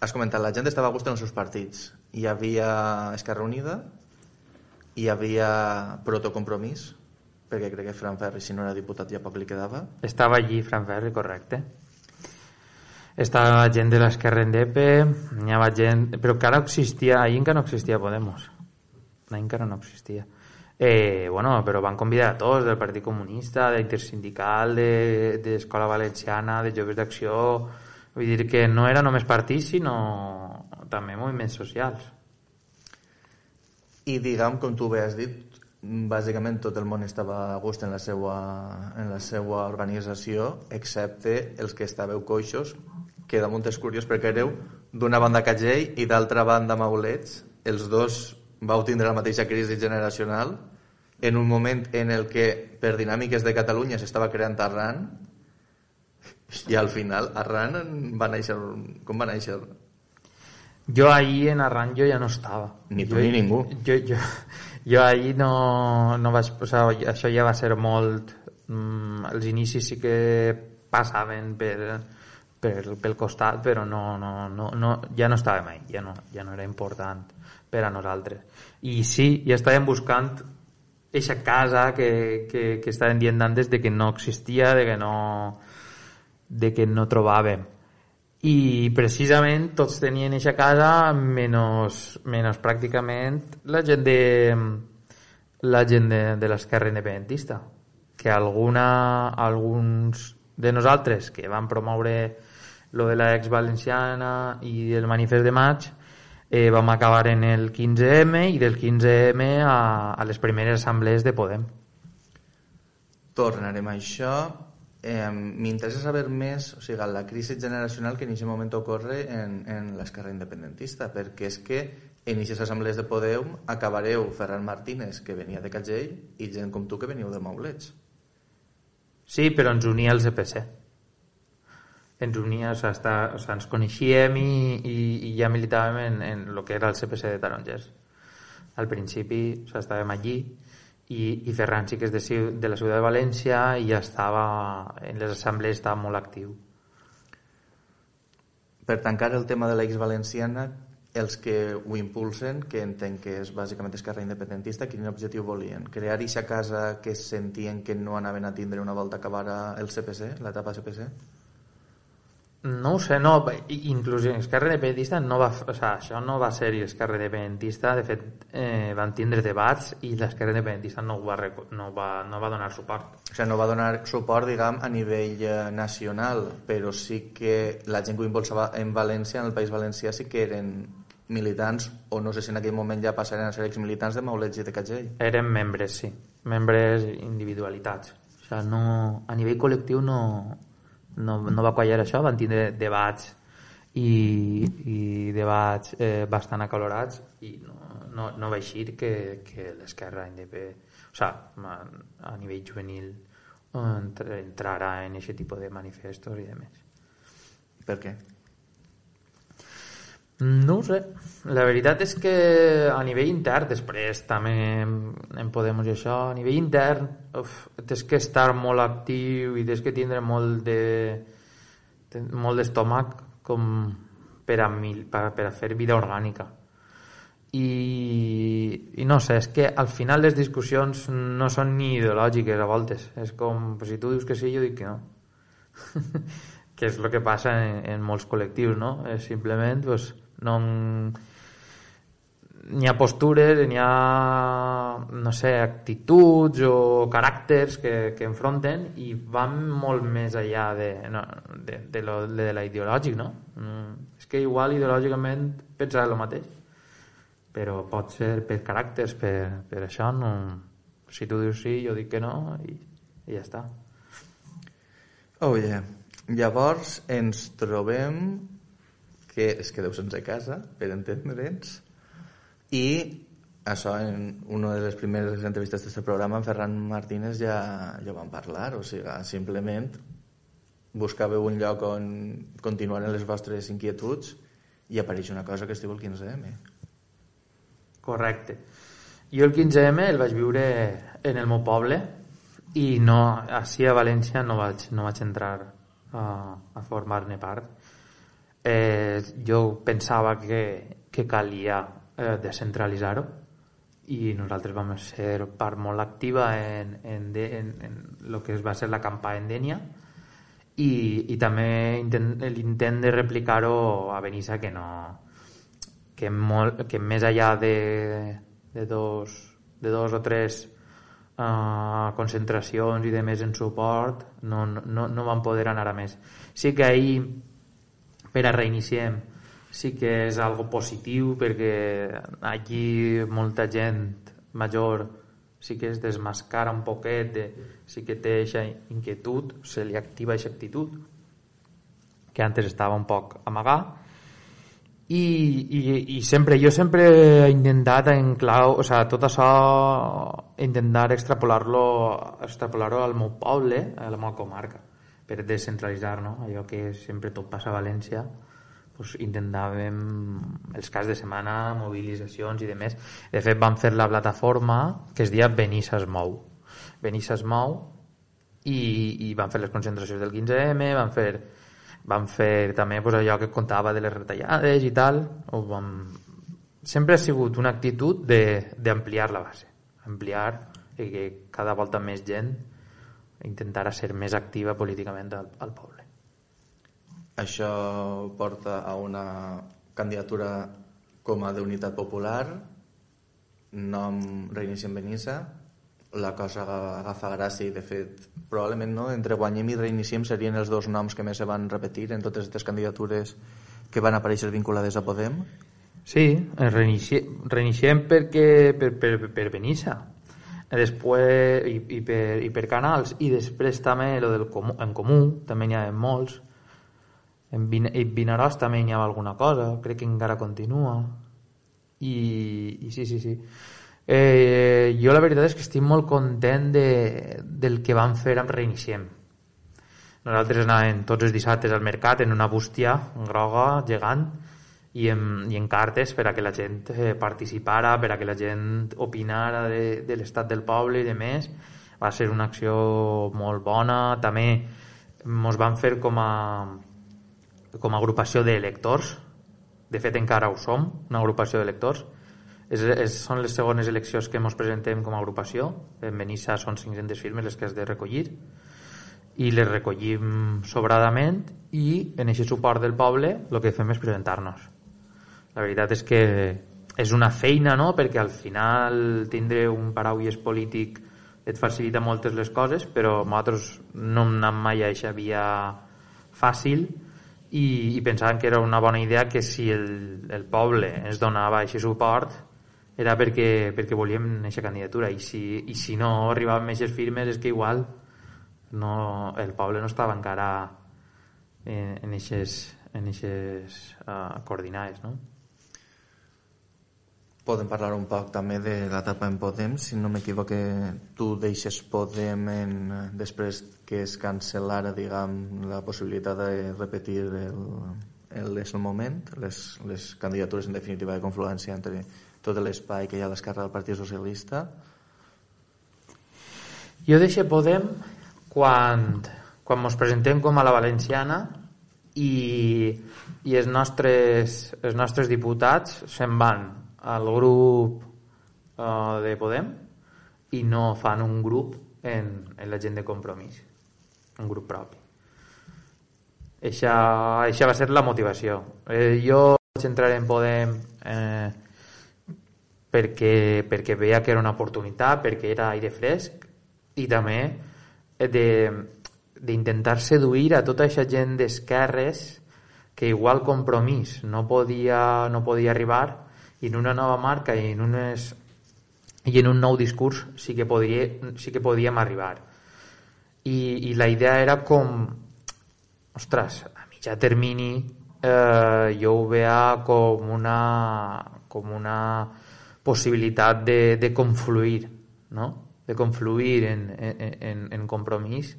has comentat, la gent estava a gust en els seus partits. Hi havia Esquerra Unida, hi havia Protocompromís, perquè crec que Fran Ferri, si no era diputat, ja poc li quedava. Estava allí Fran Ferri, correcte. Estava gent de l'Esquerra Indepe, hi havia gent... Però encara existia, ahir encara no existia Podemos. Ahir encara no existia. Eh, bueno, però van convidar a tots, del Partit Comunista, d'Intersindical, d'Escola de, Valenciana, de Joves d'Acció... Vull dir que no era només partits, sinó també moviments socials. I diguem, com tu bé has dit, bàsicament tot el món estava a gust en la seva, en la seva organització, excepte els que estàveu coixos, que damunt és curiós perquè éreu d'una banda Cagell i d'altra banda Maulets. Els dos vau tindre la mateixa crisi generacional en un moment en el que per dinàmiques de Catalunya s'estava creant Arran, i al final Arran va néixer... Com va néixer? Jo ahir en Arran jo ja no estava. Ni tu jo, ni ningú. Jo, jo, jo ahir no, no vaig posar... Això ja va ser molt... Mm, els inicis sí que passaven per, per, pel costat, però no, no, no, no, ja no estàvem ahí, ja no, ja no era important per a nosaltres. I sí, ja estàvem buscant eixa casa que, que, que estàvem dient antes de que no existia, de que no... de que no trobàvem, i precisament tots tenien eixa casa menys, menys pràcticament la gent de la gent de, de l'esquerra independentista, que alguna, alguns de nosaltres que van promoure lo de la X valenciana i el manifest de maig eh, vam acabar en el quinze eme i del quinze eme a, a les primeres assemblees de Podem. Tornarem a això. Eh, M'interessa saber més, o sigui, la crisi generacional que en aquest moment ocorre en, en l'esquerra independentista, perquè és que en aquestes assemblees de Podem acabareu Ferran Martínez, que venia de Cagell, i gent com tu que veniu de Maulets. Sí, però ens unia el C P C. Ens unia, o sigui, està, o sigui, ens coneixíem i, i, i ja militàvem en, en el que era el C P C de Tarongers. Al principi, o sigui, estàvem allí i, i Ferran sí que és de, de la ciutat de València i ja estava en les assemblees, estava molt actiu. Per tancar el tema de l'ex valenciana, els que ho impulsen, que entenc que és bàsicament esquerra independentista, quin objectiu volien? Crear eixa casa que sentien que no anaven a tindre una volta acabar el C P C, l'etapa C P C? No ho sé, no, inclús Esquerra Independentista no va, o sigui, això no va ser Esquerra Independentista, de fet eh, van tindre debats i l'Esquerra Independentista no va, no, va, no va donar suport. O sigui, no va donar suport, diguem, a nivell eh, nacional, però sí que la gent que ho impulsava en València, en el País Valencià, sí que eren militants, o no sé si en aquell moment ja passaren a ser exmilitants de Maulets i de Cagell. Eren membres, sí, membres individualitats. O sigui, no, a nivell col·lectiu no... No, no va quallar això, van tindre debats i, i debats eh, bastant acalorats i no, no, no va eixir que, que l'esquerra independent, o sigui, a, a nivell juvenil entrarà en aquest tipus de manifestos i demés. Per què? No ho sé, la veritat és que a nivell intern, després també en Podem i això, a nivell intern uf, tens que estar molt actiu i tens que tindre molt de molt d'estómac com per a, mil, per, per a fer vida orgànica i, i no sé, és que al final les discussions no són ni ideològiques a voltes, és com pues, si tu dius que sí, jo dic que no que és el que passa en, en molts col·lectius, no? És simplement pues, no n'hi ha postures, n'hi ha no sé, actituds o caràcters que, que enfronten i van molt més enllà de, no, de, de, lo, de la ideològic, no? Mm, és que igual ideològicament pensar el mateix, però pot ser per caràcters, per, per això no, si tu dius sí, jo dic que no i, i ja està. Oh yeah. Llavors ens trobem que es quedeu sense casa, per entendre'ns, i això en una de les primeres entrevistes d'aquest programa en Ferran Martínez ja, ja vam parlar, o sigui, simplement buscàveu un lloc on continuaren les vostres inquietuds i apareix una cosa que es diu el quinze eme. Correcte. Jo el quinze eme el vaig viure en el meu poble i no, així a València no vaig, no vaig entrar a, a formar-ne part. Eh, jo pensava que, que calia eh, descentralitzar-ho i nosaltres vam ser part molt activa en, en, de, en, en el que va ser la campanya Dénia i, i també intent, l'intent de replicar-ho a Benissa que no que, molt, que més enllà de, de, dos, de dos o tres uh, concentracions i de més en suport no, no, no van poder anar a més. Sí que ahir per a reiniciem sí que és algo positiu perquè aquí molta gent major sí que es desmascara un poquet de, sí que té aquesta inquietud, se li activa aquesta actitud que antes estava un poc amagar i, i, i sempre jo sempre he intentat en clau, o sigui, tot això intentar extrapolar-lo extrapolar-ho al meu poble, a la meva comarca per descentralitzar, no? Allò que sempre tot passa a València, pues intentàvem els caps de setmana, mobilitzacions i demés. De fet, vam fer la plataforma que es deia Benissa es mou. Benissa es mou i, i van fer les concentracions del quinze eme, van fer, van fer també pues, allò que contava de les retallades i tal. O vam... Sempre ha sigut una actitud d'ampliar la base, ampliar i que cada volta més gent intentar ser més activa políticament al, al poble. Això porta a una candidatura com a d'Unitat Popular, nom Reiniciem Benissa, la cosa agafa gràcia i de fet probablement no, entre Guanyem i Reiniciem serien els dos noms que més se van repetir en totes aquestes candidatures que van aparèixer vinculades a Podem. Sí, reiniciem, reiniciem perquè, per, per, per Benissa. Després, i, i, per, i per Canals, i després també lo del comú, en Comú, també n'hi ha molts. En Vinaròs també n'hi ha alguna cosa, crec que encara continua. I, i sí, sí, sí. Eh, jo la veritat és que estic molt content de, del que van fer amb Reiniciem. Nosaltres anàvem tots els dissabtes al mercat en una bústia groga, gegant, i en, i en cartes per a que la gent eh, participara, per a que la gent opinara de, de l'estat del poble i de més. Va ser una acció molt bona. També ens van fer com a com a agrupació d'electors. De fet encara ho som, una agrupació d'electors. És, és, són les segones eleccions que ens presentem com a agrupació. En Benissa són cinc-centes firmes les que has de recollir, i les recollim sobradament, i en aquest suport del poble el que fem és presentar-nos. La veritat és que és una feina, no? Perquè al final tindre un paraules polític et facilita moltes les coses, però nosaltres no hem anat mai a aquesta via fàcil, i, i pensàvem que era una bona idea, que si el, el poble ens donava aquest suport era perquè, perquè volíem aquesta candidatura, i si, i si no arribaven aquestes firmes és que igual no, el poble no estava encara en, en aquestes en aquestes uh, coordinades, no? Podem parlar un poc també de l'etapa en Podem. Si no m'equivoque, tu deixes Podem en, després que es cancel·lara, diguem, la possibilitat de repetir el, el, el moment, les, les candidatures en definitiva de confluència entre tot l'espai que hi ha a l'esquerra del Partit Socialista. Jo deixo Podem quan, quan ens presentem com a la valenciana i, i els nostres, els nostres diputats se'n van al grup uh, de Podem i no fan un grup en, en la gent de Compromís, un grup propi. Eixa, eixa va ser la motivació. Eh, jo vaig entrar en Podem eh, perquè, perquè veia que era una oportunitat, perquè era aire fresc, i també de, d'intentar seduir a tota aquesta gent d'esquerres que igual Compromís no podia, no podia arribar, i en una nova marca i en, unes, i en un nou discurs sí que, podria, sí que podíem arribar. I, i la idea era com, ostres, a mitjà termini eh, jo ho veia com una, com una possibilitat de, de confluir, no? De confluir en, en, en, en Compromís,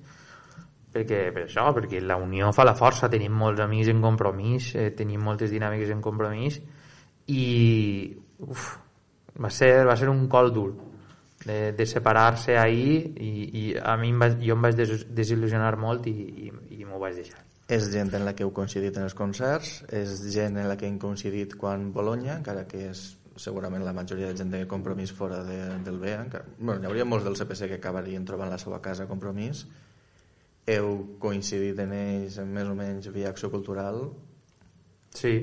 perquè, per això, perquè la unió fa la força. Tenim molts amics en Compromís, eh, tenim moltes dinàmiques en Compromís, i uf, va ser, va ser un col dur de, de separar-se ahir, i, i a mi em va, jo em vaig des, desil·lusionar molt, i, i, i m'ho vaig deixar. És gent en la que heu coincidit en els concerts, és gent en la que hem coincidit quan Bologna, encara que és segurament la majoria de gent de Compromís fora de, del B E A. Encara, bueno, hi hauria molts del C P C que acabarien trobant la seva casa a Compromís. Heu coincidit en ells més o menys via acció cultural? Sí.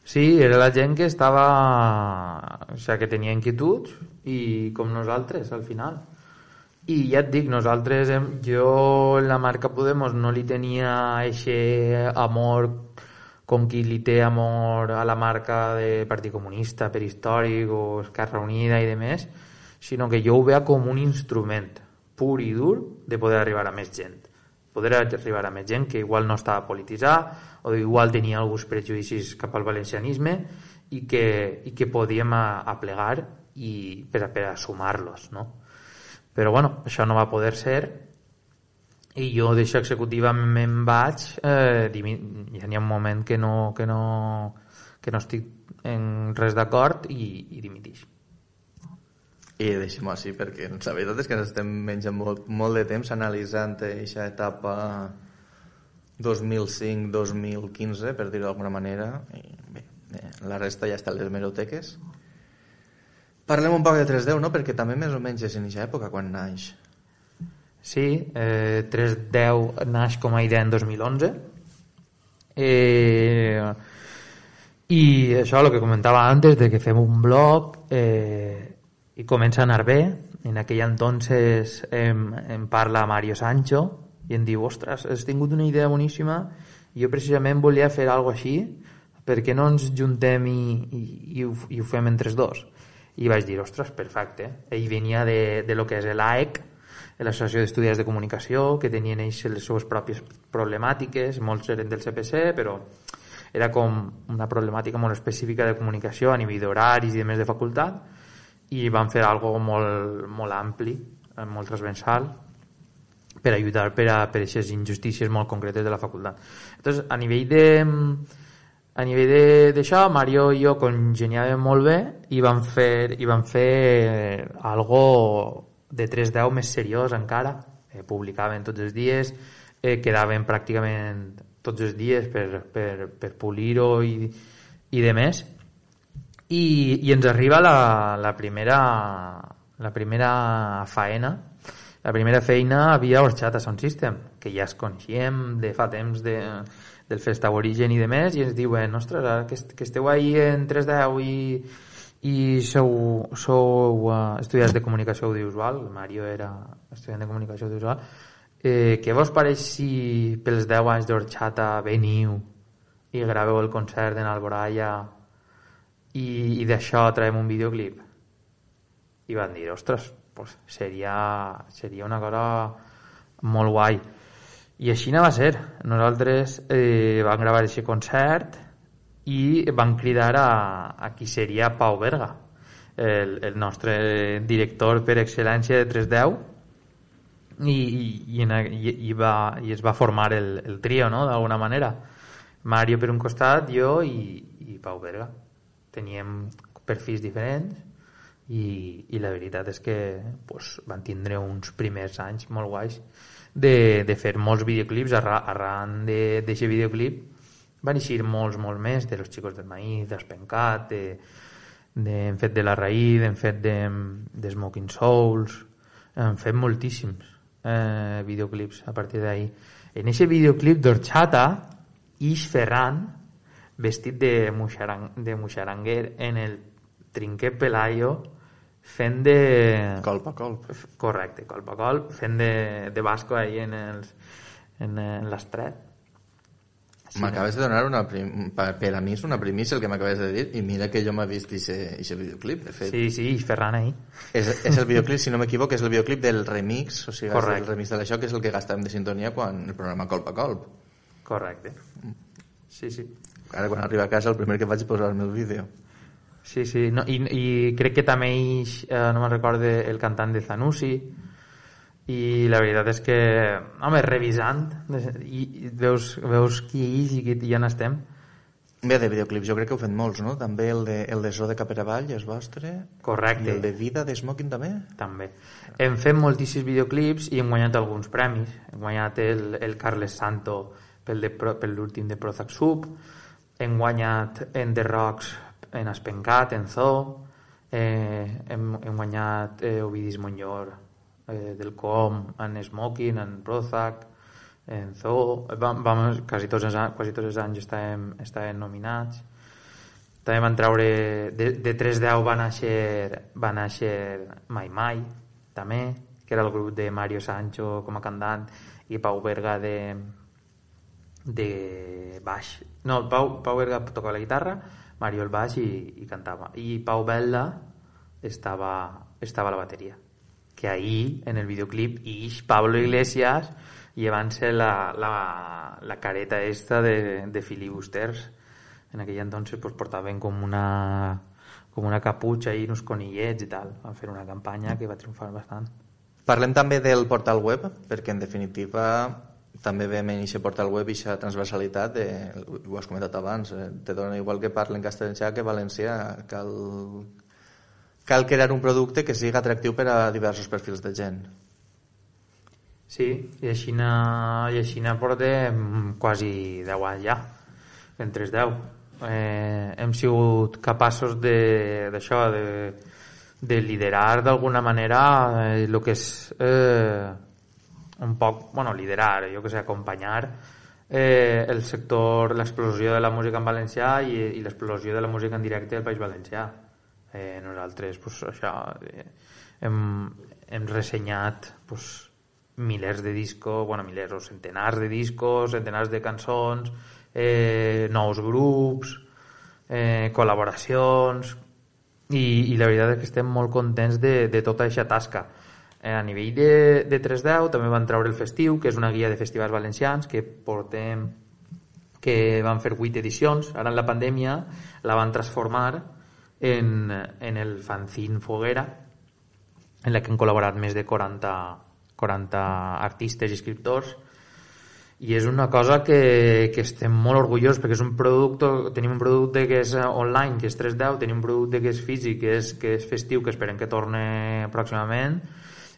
Sí, era la gent que estava, o sigui, que tenia inquietuds, i com nosaltres al final. I ja et dic, nosaltres, jo en la marca Podemos no li tenia aquest amor com qui li té amor a la marca de Partit Comunista, per històric, o Esquerra Unida i demés, sinó que jo ho veia com un instrument pur i dur de poder arribar a més gent. Poder arribar a més gent que igual no estava polititzada, o igual tenia alguns prejudicis cap al valencianisme, i que, i que podíem aplegar i per a, per a sumar-los, no? Però bueno, això no va poder ser, i jo d'això executiva me'n vaig, eh, ja n'hi ha un moment que no, que no, que no estic en res d'acord, i, i dimitix. I deixem-ho així, perquè la veritat és que ens estem menjant molt, molt de temps analitzant aquesta etapa dos mil cinc dos mil quinze, per dir-ho d'alguna manera, i bé, la resta ja està a les hemeroteques. Parlem un poc de tres deu, no? Perquè també més o menys és en aquesta època quan naix. Sí, eh, tres deu naix com a idea en dos mil onze, eh, i això, el que comentava antes, de que fem un blog, eh, i comença a anar bé. En aquell entonces em, em parla Mario Sancho i em diu, ostres, has tingut una idea boníssima, i jo precisament volia fer alguna així per què no ens juntem i, i, i, ho, i ho fem entre els dos? I vaig dir, ostres, perfecte. Ell venia de, de lo que és l'A E C, l'Associació d'Estudiants de Comunicació, que tenien ells les seves pròpies problemàtiques, molts eren del C P C, però era com una problemàtica molt específica de comunicació a nivell d'horaris i de més de facultat, i van fer algo molt, molt ampli, molt transversal, per ajudar per a per aquestes injustícies molt concretes de la facultat. Entonces, a nivell de a nivell d'això, Mario i jo congeniàvem molt bé i vam fer, i vam fer algo de tres deu més seriós encara. Eh, publicaven tots els dies, eh, quedaven pràcticament tots els dies per, per, per polir-ho i, i de més. I, i ens arriba la, la primera la primera faena, la primera feina havia Horchata Sound System, que ja es coneixíem de fa temps de, del Fest Aborigen i de més, i ens diuen, ostres, ara que, est que esteu ahí en tres deu i, i sou, sou uh, estudiants de comunicació audiovisual, Mario era estudiant de comunicació audiovisual, eh, què vos pareix si pels deu anys d'Horchata veniu i graveu el concert en Alboraya i, i d'això traiem un videoclip? I van dir, ostres, pues seria, seria una cosa molt guai. I així no va ser. Nosaltres eh, vam gravar aquest concert i vam cridar a, a qui seria Pau Berga, el, el nostre director per excel·lència de tres deu, i, i, i, i, va, i es va formar el, el trio, no?, d'alguna manera. Mario per un costat, jo i, i Pau Berga. Teníem perfils diferents, i, i la veritat és que pues, van tindre uns primers anys molt guais de, de fer molts videoclips. Arran, arran d'aquest videoclip van eixir molts, molts més, de Los Chicos del Maíz, d'Espencat, de, de, hem fet de La Raïd, hem fet de, de Smoking Souls, hem fet moltíssims eh, videoclips a partir d'ahir. En aquest videoclip d'Horchata, ix Ferran vestit de, muixarang, de muixaranguer en el Trinquet Pelayo, fent de... Colp a colp. Correcte, colp a colp, fent de, de basco ahí en, els, en, en l'estret. Sí, m'acabes de donar una prim... per a mi és una primícia el que m'acabes de dir, i mira que jo m'he vist aquest videoclip, de fet. Sí, sí, i Ferran ahí. És, és el videoclip, si no m'equivoco, és el videoclip del remix, o sigui, correcte, és el remix de l'això, que és el que gastàvem de sintonia quan el programa Colp a colp. Correcte. Sí, sí. Ara quan arriba a casa el primer que faig és posar-me el vídeo. Sí, sí, no, i, i crec que també ix, eh, no me'n recorde, el cantant de Zanussi, i la veritat és que, home, revisant, i, i veus, veus qui ix i qui ja n'estem. Bé, de videoclips jo crec que heu fet molts, no? També el de, el de So de Caperavall és vostre. Correcte. I el de Vida de Smoking també? També. Hem fet moltíssims videoclips i hem guanyat alguns premis. Hem guanyat el, el Carles Santo pel, de, per l'últim de Prozac Sub, hem guanyat en The Rocks en Espencat, en Zoo, eh, hem, hem guanyat eh, Ovidis Montllor eh, del Com, en Smoking, en Prozac, en Zoo, vam, vam, quasi, tots els, quasi tots els anys estàvem, estàvem nominats. També van treure de, de tres deu va néixer, va néixer Mai Mai, també, que era el grup de Mario Sancho com a cantant i Pau Berga de de baix. No, Pau, Pau Berga tocava la guitarra, Mario el baix i, i cantava, i Pau Bella estava, estava a la bateria, que ahí en el videoclip ix Pablo Iglesias llevant-se la, la, la careta esta de, de filibusters. En aquell entonces pues, portaven com una com una caputxa i uns conillets i tal. Van fer una campanya que va triomfar bastant. Parlem també del portal web, perquè en definitiva també veiem en aquest portal web aquesta transversalitat, de, ho has comentat abans, eh, te dona igual que parlen castellà que valencià, cal, cal crear un producte que sigui atractiu per a diversos perfils de gent. Sí, i així i així portem quasi deu anys ja, en tres deu. Eh, hem sigut capaços de, d'això, de, de liderar d'alguna manera eh, el que és... Eh, un poc, bueno, liderar, jo que sé, acompanyar eh, el sector, l'explosió de la música en valencià i, i l'explosió de la música en directe del País Valencià. Eh, nosaltres, pues, això, eh, hem, hem ressenyat pues, milers de discos, bueno, milers o centenars de discos, centenars de cançons, eh, nous grups, eh, col·laboracions, i, i la veritat és que estem molt contents de, de tota aquesta tasca. Eh, a nivell de, de tres deu també van treure el Festiu, que és una guia de festivals valencians que portem, que van fer vuit edicions. Ara en la pandèmia la van transformar en, en el fanzine Foguera, en la que han col·laborat més de quaranta, quaranta artistes i escriptors, i és una cosa que, que estem molt orgullosos, perquè és un producte, tenim un producte que és online, que és tres deu, tenim un producte que és físic, que és, que és festiu, que esperem que torni pròximament,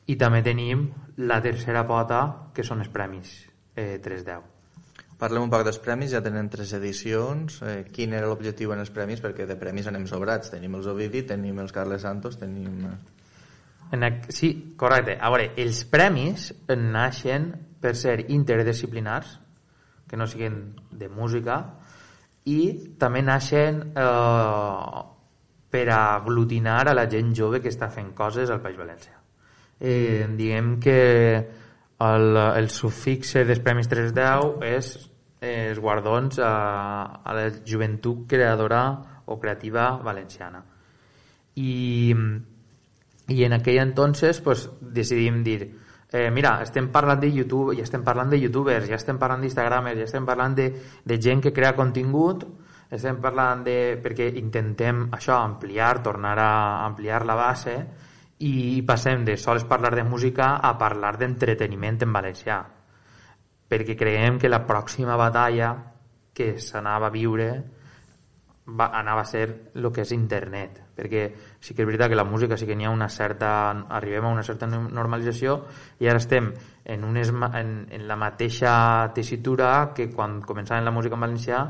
i també tenim la tercera pota, que són els premis eh, tres deu. Parlem un poc dels premis, ja tenen tres edicions. Eh, quin era l'objectiu en els premis? Perquè de premis anem sobrats. Tenim els Ovidi, tenim els Carles Santos, tenim... En el, sí, correcte. A veure, els premis naixen per ser interdisciplinars, que no siguin de música, i també naixen eh, per aglutinar a la gent jove que està fent coses al País Valencià. Eh, diguem que el, el sufixe dels Premis tres deu és eh, els guardons a, a la joventut creadora o creativa valenciana. I... I en aquell entonces pues, decidim dir eh, mira, estem parlant de YouTube, ja estem parlant de youtubers, ja estem parlant d'instagramers, ja estem parlant de, de gent que crea contingut, estem parlant de... perquè intentem això, ampliar, tornar a ampliar la base, i passem de sols parlar de música a parlar d'entreteniment en valencià, perquè creiem que la pròxima batalla que s'anava a viure va, anava a ser el que és internet, perquè sí que és veritat que la música sí que n'hi ha una certa, arribem a una certa normalització, i ara estem en, unes, en, en la mateixa tessitura que quan començàvem la música en valencià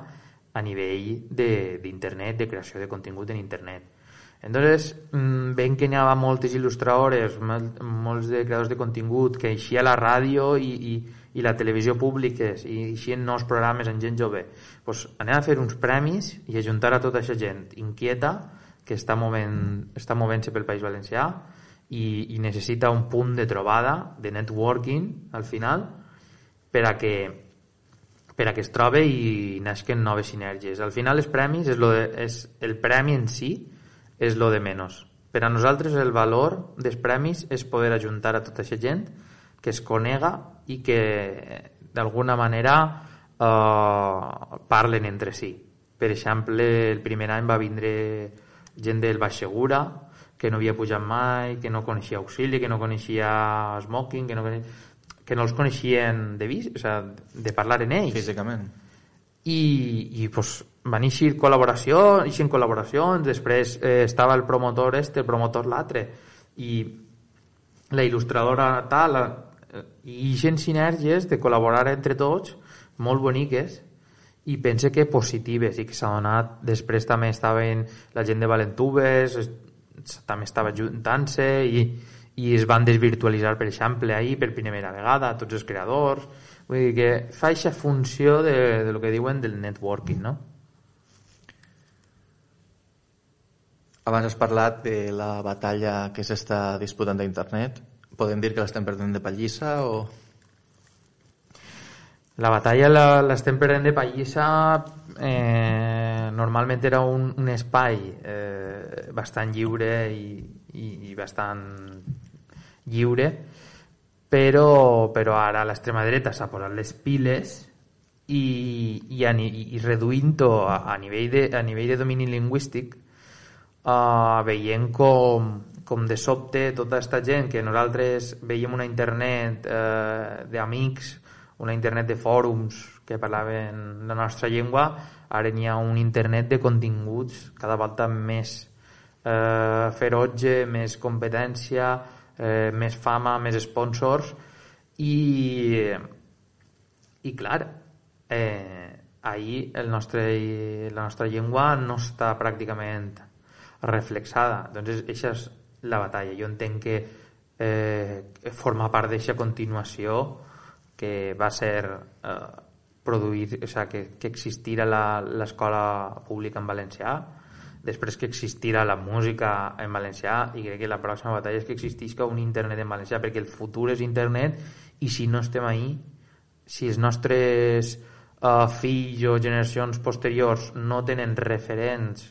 a nivell d'internet, de, de creació de contingut en internet. Entonces veiem que n'hi ha moltes il·lustradores, molts de creadors de contingut, que eixia la ràdio i, i, i la televisió públiques, i eixien nous programes en gent jove. Pues anem a fer uns premis i ajuntar a tota aquesta gent inquieta que està movent, està movent-se pel País Valencià i, i necessita un punt de trobada, de networking al final, per a que per a que es trobe i nasquen noves sinergies. Al final els premis és, lo de, és el premi en si és lo de menys. Per a nosaltres el valor dels premis és poder ajuntar a tota aquesta gent que es conega i que d'alguna manera eh, parlen entre si. Per exemple, el primer any va vindre gent del Baix Segura que no havia pujat mai, que no coneixia Auxili, que no coneixia Smoking, que no, que no els coneixien de vist, o sea, de parlar en ells. Físicament. I, i pues, van eixir col·laboracions, eixien col·laboracions, després eh, estava el promotor este, el promotor l'altre, i la il·lustradora tal, la, i eixen sinergies de col·laborar entre tots, molt boniques, i pense que positives, i que s'ha donat. Després també estaven la gent de Valentubes, també estava juntant-se, i, i es van desvirtualitzar, per exemple, ahir per primera vegada, tots els creadors. Vull dir que fa aquesta funció de, de lo que diuen del networking, no? Abans has parlat de la batalla que s'està disputant a internet. Podem dir que l'estem perdent de pallissa o...? La batalla l'estem perdent de pallissa. Eh, normalment era un, un espai eh, bastant lliure i, i, i bastant lliure, però, però ara l'extrema dreta s'ha posat les piles i, i, i, i reduint-ho a, a, nivell de, a nivell de domini lingüístic, uh, veient com, com de sobte tota aquesta gent que nosaltres veiem una internet uh, d'amics, una internet de fòrums que parlaven la nostra llengua, ara n'hi ha un internet de continguts cada volta més eh, ferotge, més competència, eh, més fama, més sponsors, i i clar, eh, ahir el nostre, la nostra llengua no està pràcticament reflexada. Doncs aquesta és la batalla. Jo entenc que eh, forma part d'aquesta continuació que va ser eh, produir, o sea, que, que existira l'escola pública en valencià, després que existira la música en valencià, i crec que la pròxima batalla és que existisca un internet en valencià, perquè el futur és internet, i si no estem ahí, si els nostres uh, fills o generacions posteriors no tenen referents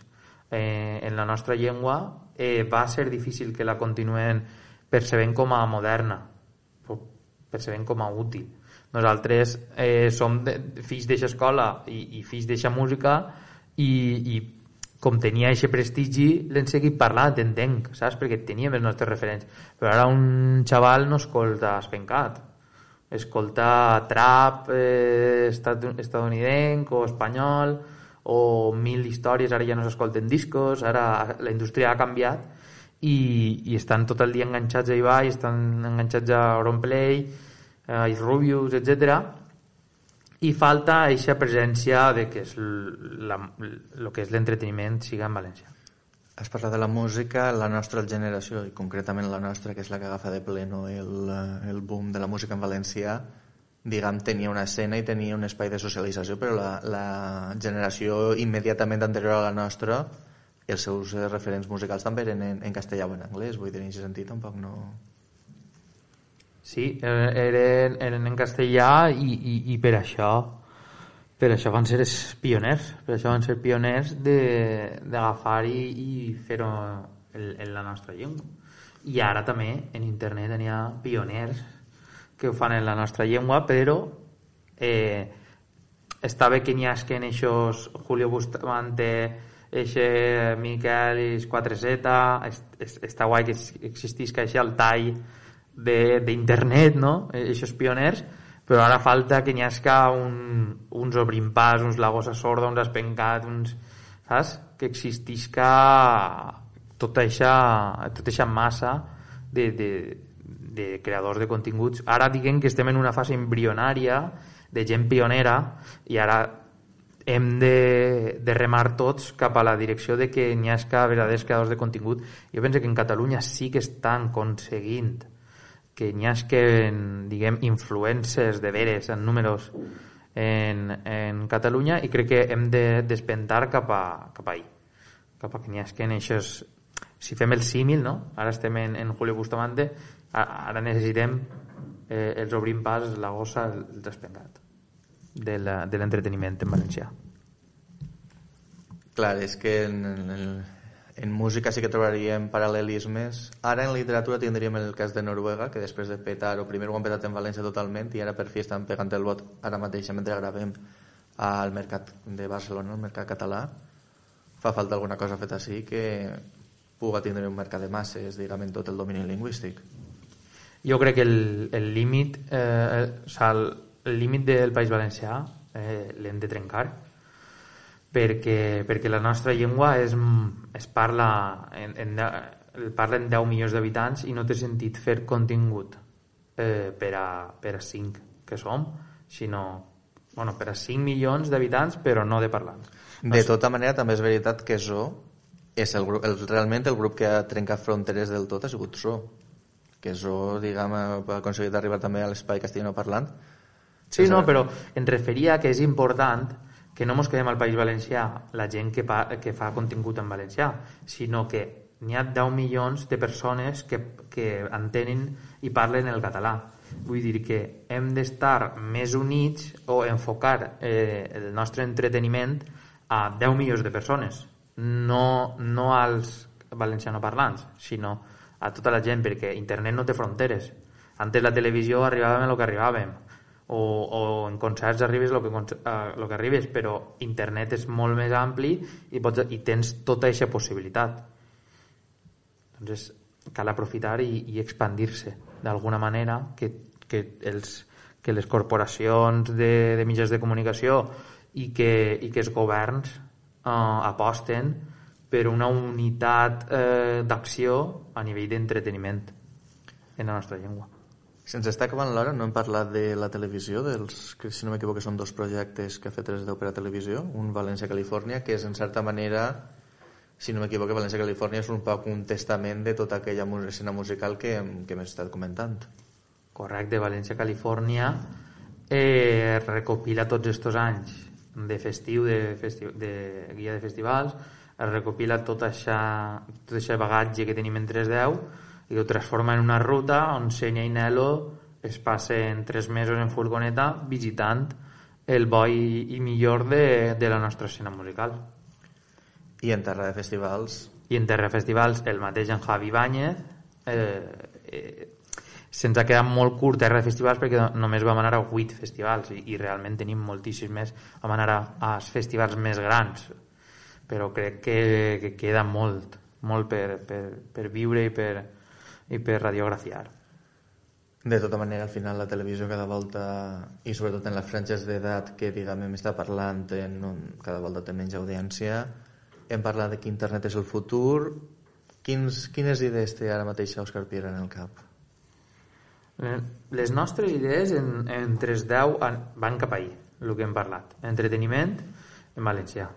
eh, en la nostra llengua, eh, va ser difícil que la continuem percebent com a moderna, percebent com a útil. Nosaltres eh, som de, fills d'eixa escola i, i fills d'eixa música i, i com tenia aquest prestigi l'hem seguit parlant, entenc, saps? Perquè teníem els nostres referents. Però ara un xaval no escolta Spencat, escolta trap eh, estadounidenc o espanyol o mil històries, ara ja no s'escolten discos, ara la indústria ha canviat i, i estan tot el dia enganxats a Ibai, estan enganxats a Auronplay, a Rubius, etcètera, i falta aquesta presència de que és la, el que és l'entreteniment siga en valencià. Has parlat de la música, la nostra generació, i concretament la nostra, que és la que agafa de pleno el, el boom de la música en valencià, diguem, tenia una escena i tenia un espai de socialització, però la, la generació immediatament anterior a la nostra, els seus referents musicals també eren en, en castellà o en anglès, vull dir, en aquest sentit tampoc no... Sí, eren, eren en castellà i, i, i per això per això van ser els pioners, per això van ser pioners d'agafar i, i fer-ho en, en la nostra llengua. I ara també en internet n'hi ha pioners que ho fan en la nostra llengua, però eh, està bé que n'hi hagi en eixos Julio Bustamante, eixe Miquel i quatre zeta, està guai que existisca eixe Altai d'internet, no? Eixos pioners, però ara falta que n'hi hagi un, uns Obrimpàs, uns La Gossa Sorda, uns Espencat, uns, saps? Que existisca tota eixa, tota eixa massa de, de, de creadors de continguts. Ara diguem que estem en una fase embrionària de gent pionera i ara hem de, de remar tots cap a la direcció de que n'hi hagi verdaders creadors de contingut. Jo penso que en Catalunya sí que estan aconseguint que n'hi hagi, diguem, influencers de veres en números en, en Catalunya, i crec que hem de despentar cap a, cap a ahí, cap a que n'hi hagi en eixos... Si fem el símil, no? Ara estem en, en Julio Bustamante, ara necessitem eh, els Obrim Pas, la Gossa, el Despengat de l'entreteniment en valencià. Clar, és que en, en, en música sí que trobaríem paral·lelismes. Ara en literatura tindríem el cas de Noruega, que després de petar, o primer ho han petat en València totalment, i ara per fi estan pegant el vot ara mateix mentre gravem al mercat de Barcelona, al mercat català. Fa falta alguna cosa feta així que puga tindre un mercat de masses, diguem, en tot el domini lingüístic. Jo crec que el límit eh, o sigui, el límit del País Valencià eh, l'hem de trencar, perquè, perquè la nostra llengua és, es parla en, en, parlen deu milions d'habitants i no té sentit fer contingut eh, per, a, per a cinc que som, sinó bueno, per a cinc milions d'habitants però no de parlants. No de sé. Tota manera també és veritat que Zo és el, grup, el, realment el grup que ha trencat fronteres del tot ha sigut Zo, que Zo, diguem, ha aconseguit arribar també a l'espai castellano parlant. Sí, no, però em referia que és important que no ens quedem al País Valencià la gent que, pa, que fa contingut en valencià, sinó que n'hi ha deu milions de persones que, que entenen i parlen el català. Vull dir que hem d'estar més units o enfocar eh, el nostre entreteniment a deu milions de persones, no, no als valencianoparlants, sinó a tota la gent, perquè internet no té fronteres. Antes la televisió arribàvem a lo que arribàvem, o, o en concerts arribes el que, uh, lo que arribes, però internet és molt més ampli i, pots, i tens tota aquesta possibilitat. Doncs cal aprofitar i, i expandir-se d'alguna manera, que, que, els, que les corporacions de, de mitjans de comunicació i que, i que els governs uh, aposten per una unitat eh, d'acció a nivell d'entreteniment en la nostra llengua. Se'ns està acabant l'hora, no hem parlat de la televisió, dels, que si no m'equivoco són dos projectes que ha fet tres deu per a televisió, un València-Califòrnia, que és en certa manera, si no m'equivoco, València-Califòrnia és un poc un testament de tota aquella escena musical que, que m'he estat comentant. Correcte, València-Califòrnia eh, recopila tots estos anys de festiu, de, festiu, de guia de festivals, es recopila tot aquest bagatge que tenim en tres deu i ho transforma en una ruta on Senya i Nelo es passen tres mesos en furgoneta visitant el bo i, i millor de, de la nostra escena musical. I en terra de festivals? I en terra de festivals, el mateix en Javi Báñez. Eh, eh, se'ns ha quedat molt curt terra de festivals perquè només vam anar a vuit festivals i, i realment tenim moltíssims més. Vam anar a, a festivals més grans, però crec que, que queda molt, molt per, per, per viure i per, i per radiografiar. De tota manera, al final la televisió cada volta, i sobretot en les franges d'edat que diguem està parlant, en un, cada volta té menys audiència. Hem parlat de que internet és el futur. Quins, quines idees té ara mateix Òscar Piera en el cap? Les nostres idees en, en tres deu van cap ahí, el que hem parlat. Entreteniment en valencià.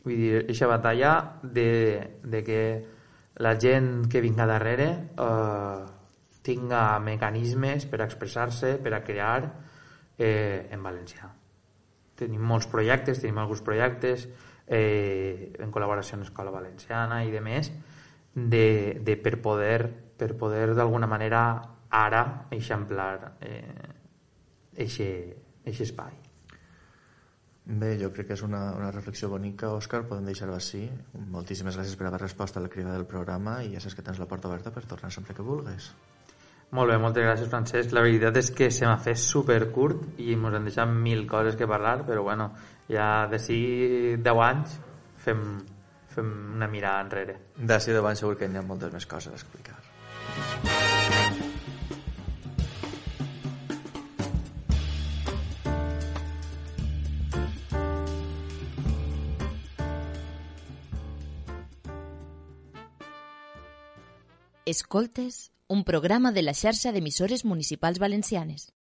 Vull dir, aquesta batalla de, de que la gent que vinga darrere eh, tinga mecanismes per a expressar-se, per a crear eh, en valencià. Tenim molts projectes, tenim alguns projectes eh, en col·laboració amb l'Escola Valenciana i de més, de, de per poder, per poder d'alguna manera ara eixamplar aquest eh, espai. Bé, jo crec que és una, una reflexió bonica, Òscar, podem deixar-ho així. Moltíssimes gràcies per haver respost a la crida del programa i ja saps que tens la porta oberta per tornar sempre que vulguis. Molt bé, moltes gràcies, Francesc. La veritat és que se m'ha fet supercurt i ens han deixat mil coses que parlar, però bueno, ja d'ací deu anys fem, fem una mirada enrere. D'ací deu anys segur que hi ha moltes més coses a explicar. Escoltes, un programa de la xarxa d'emissores municipals valencianes.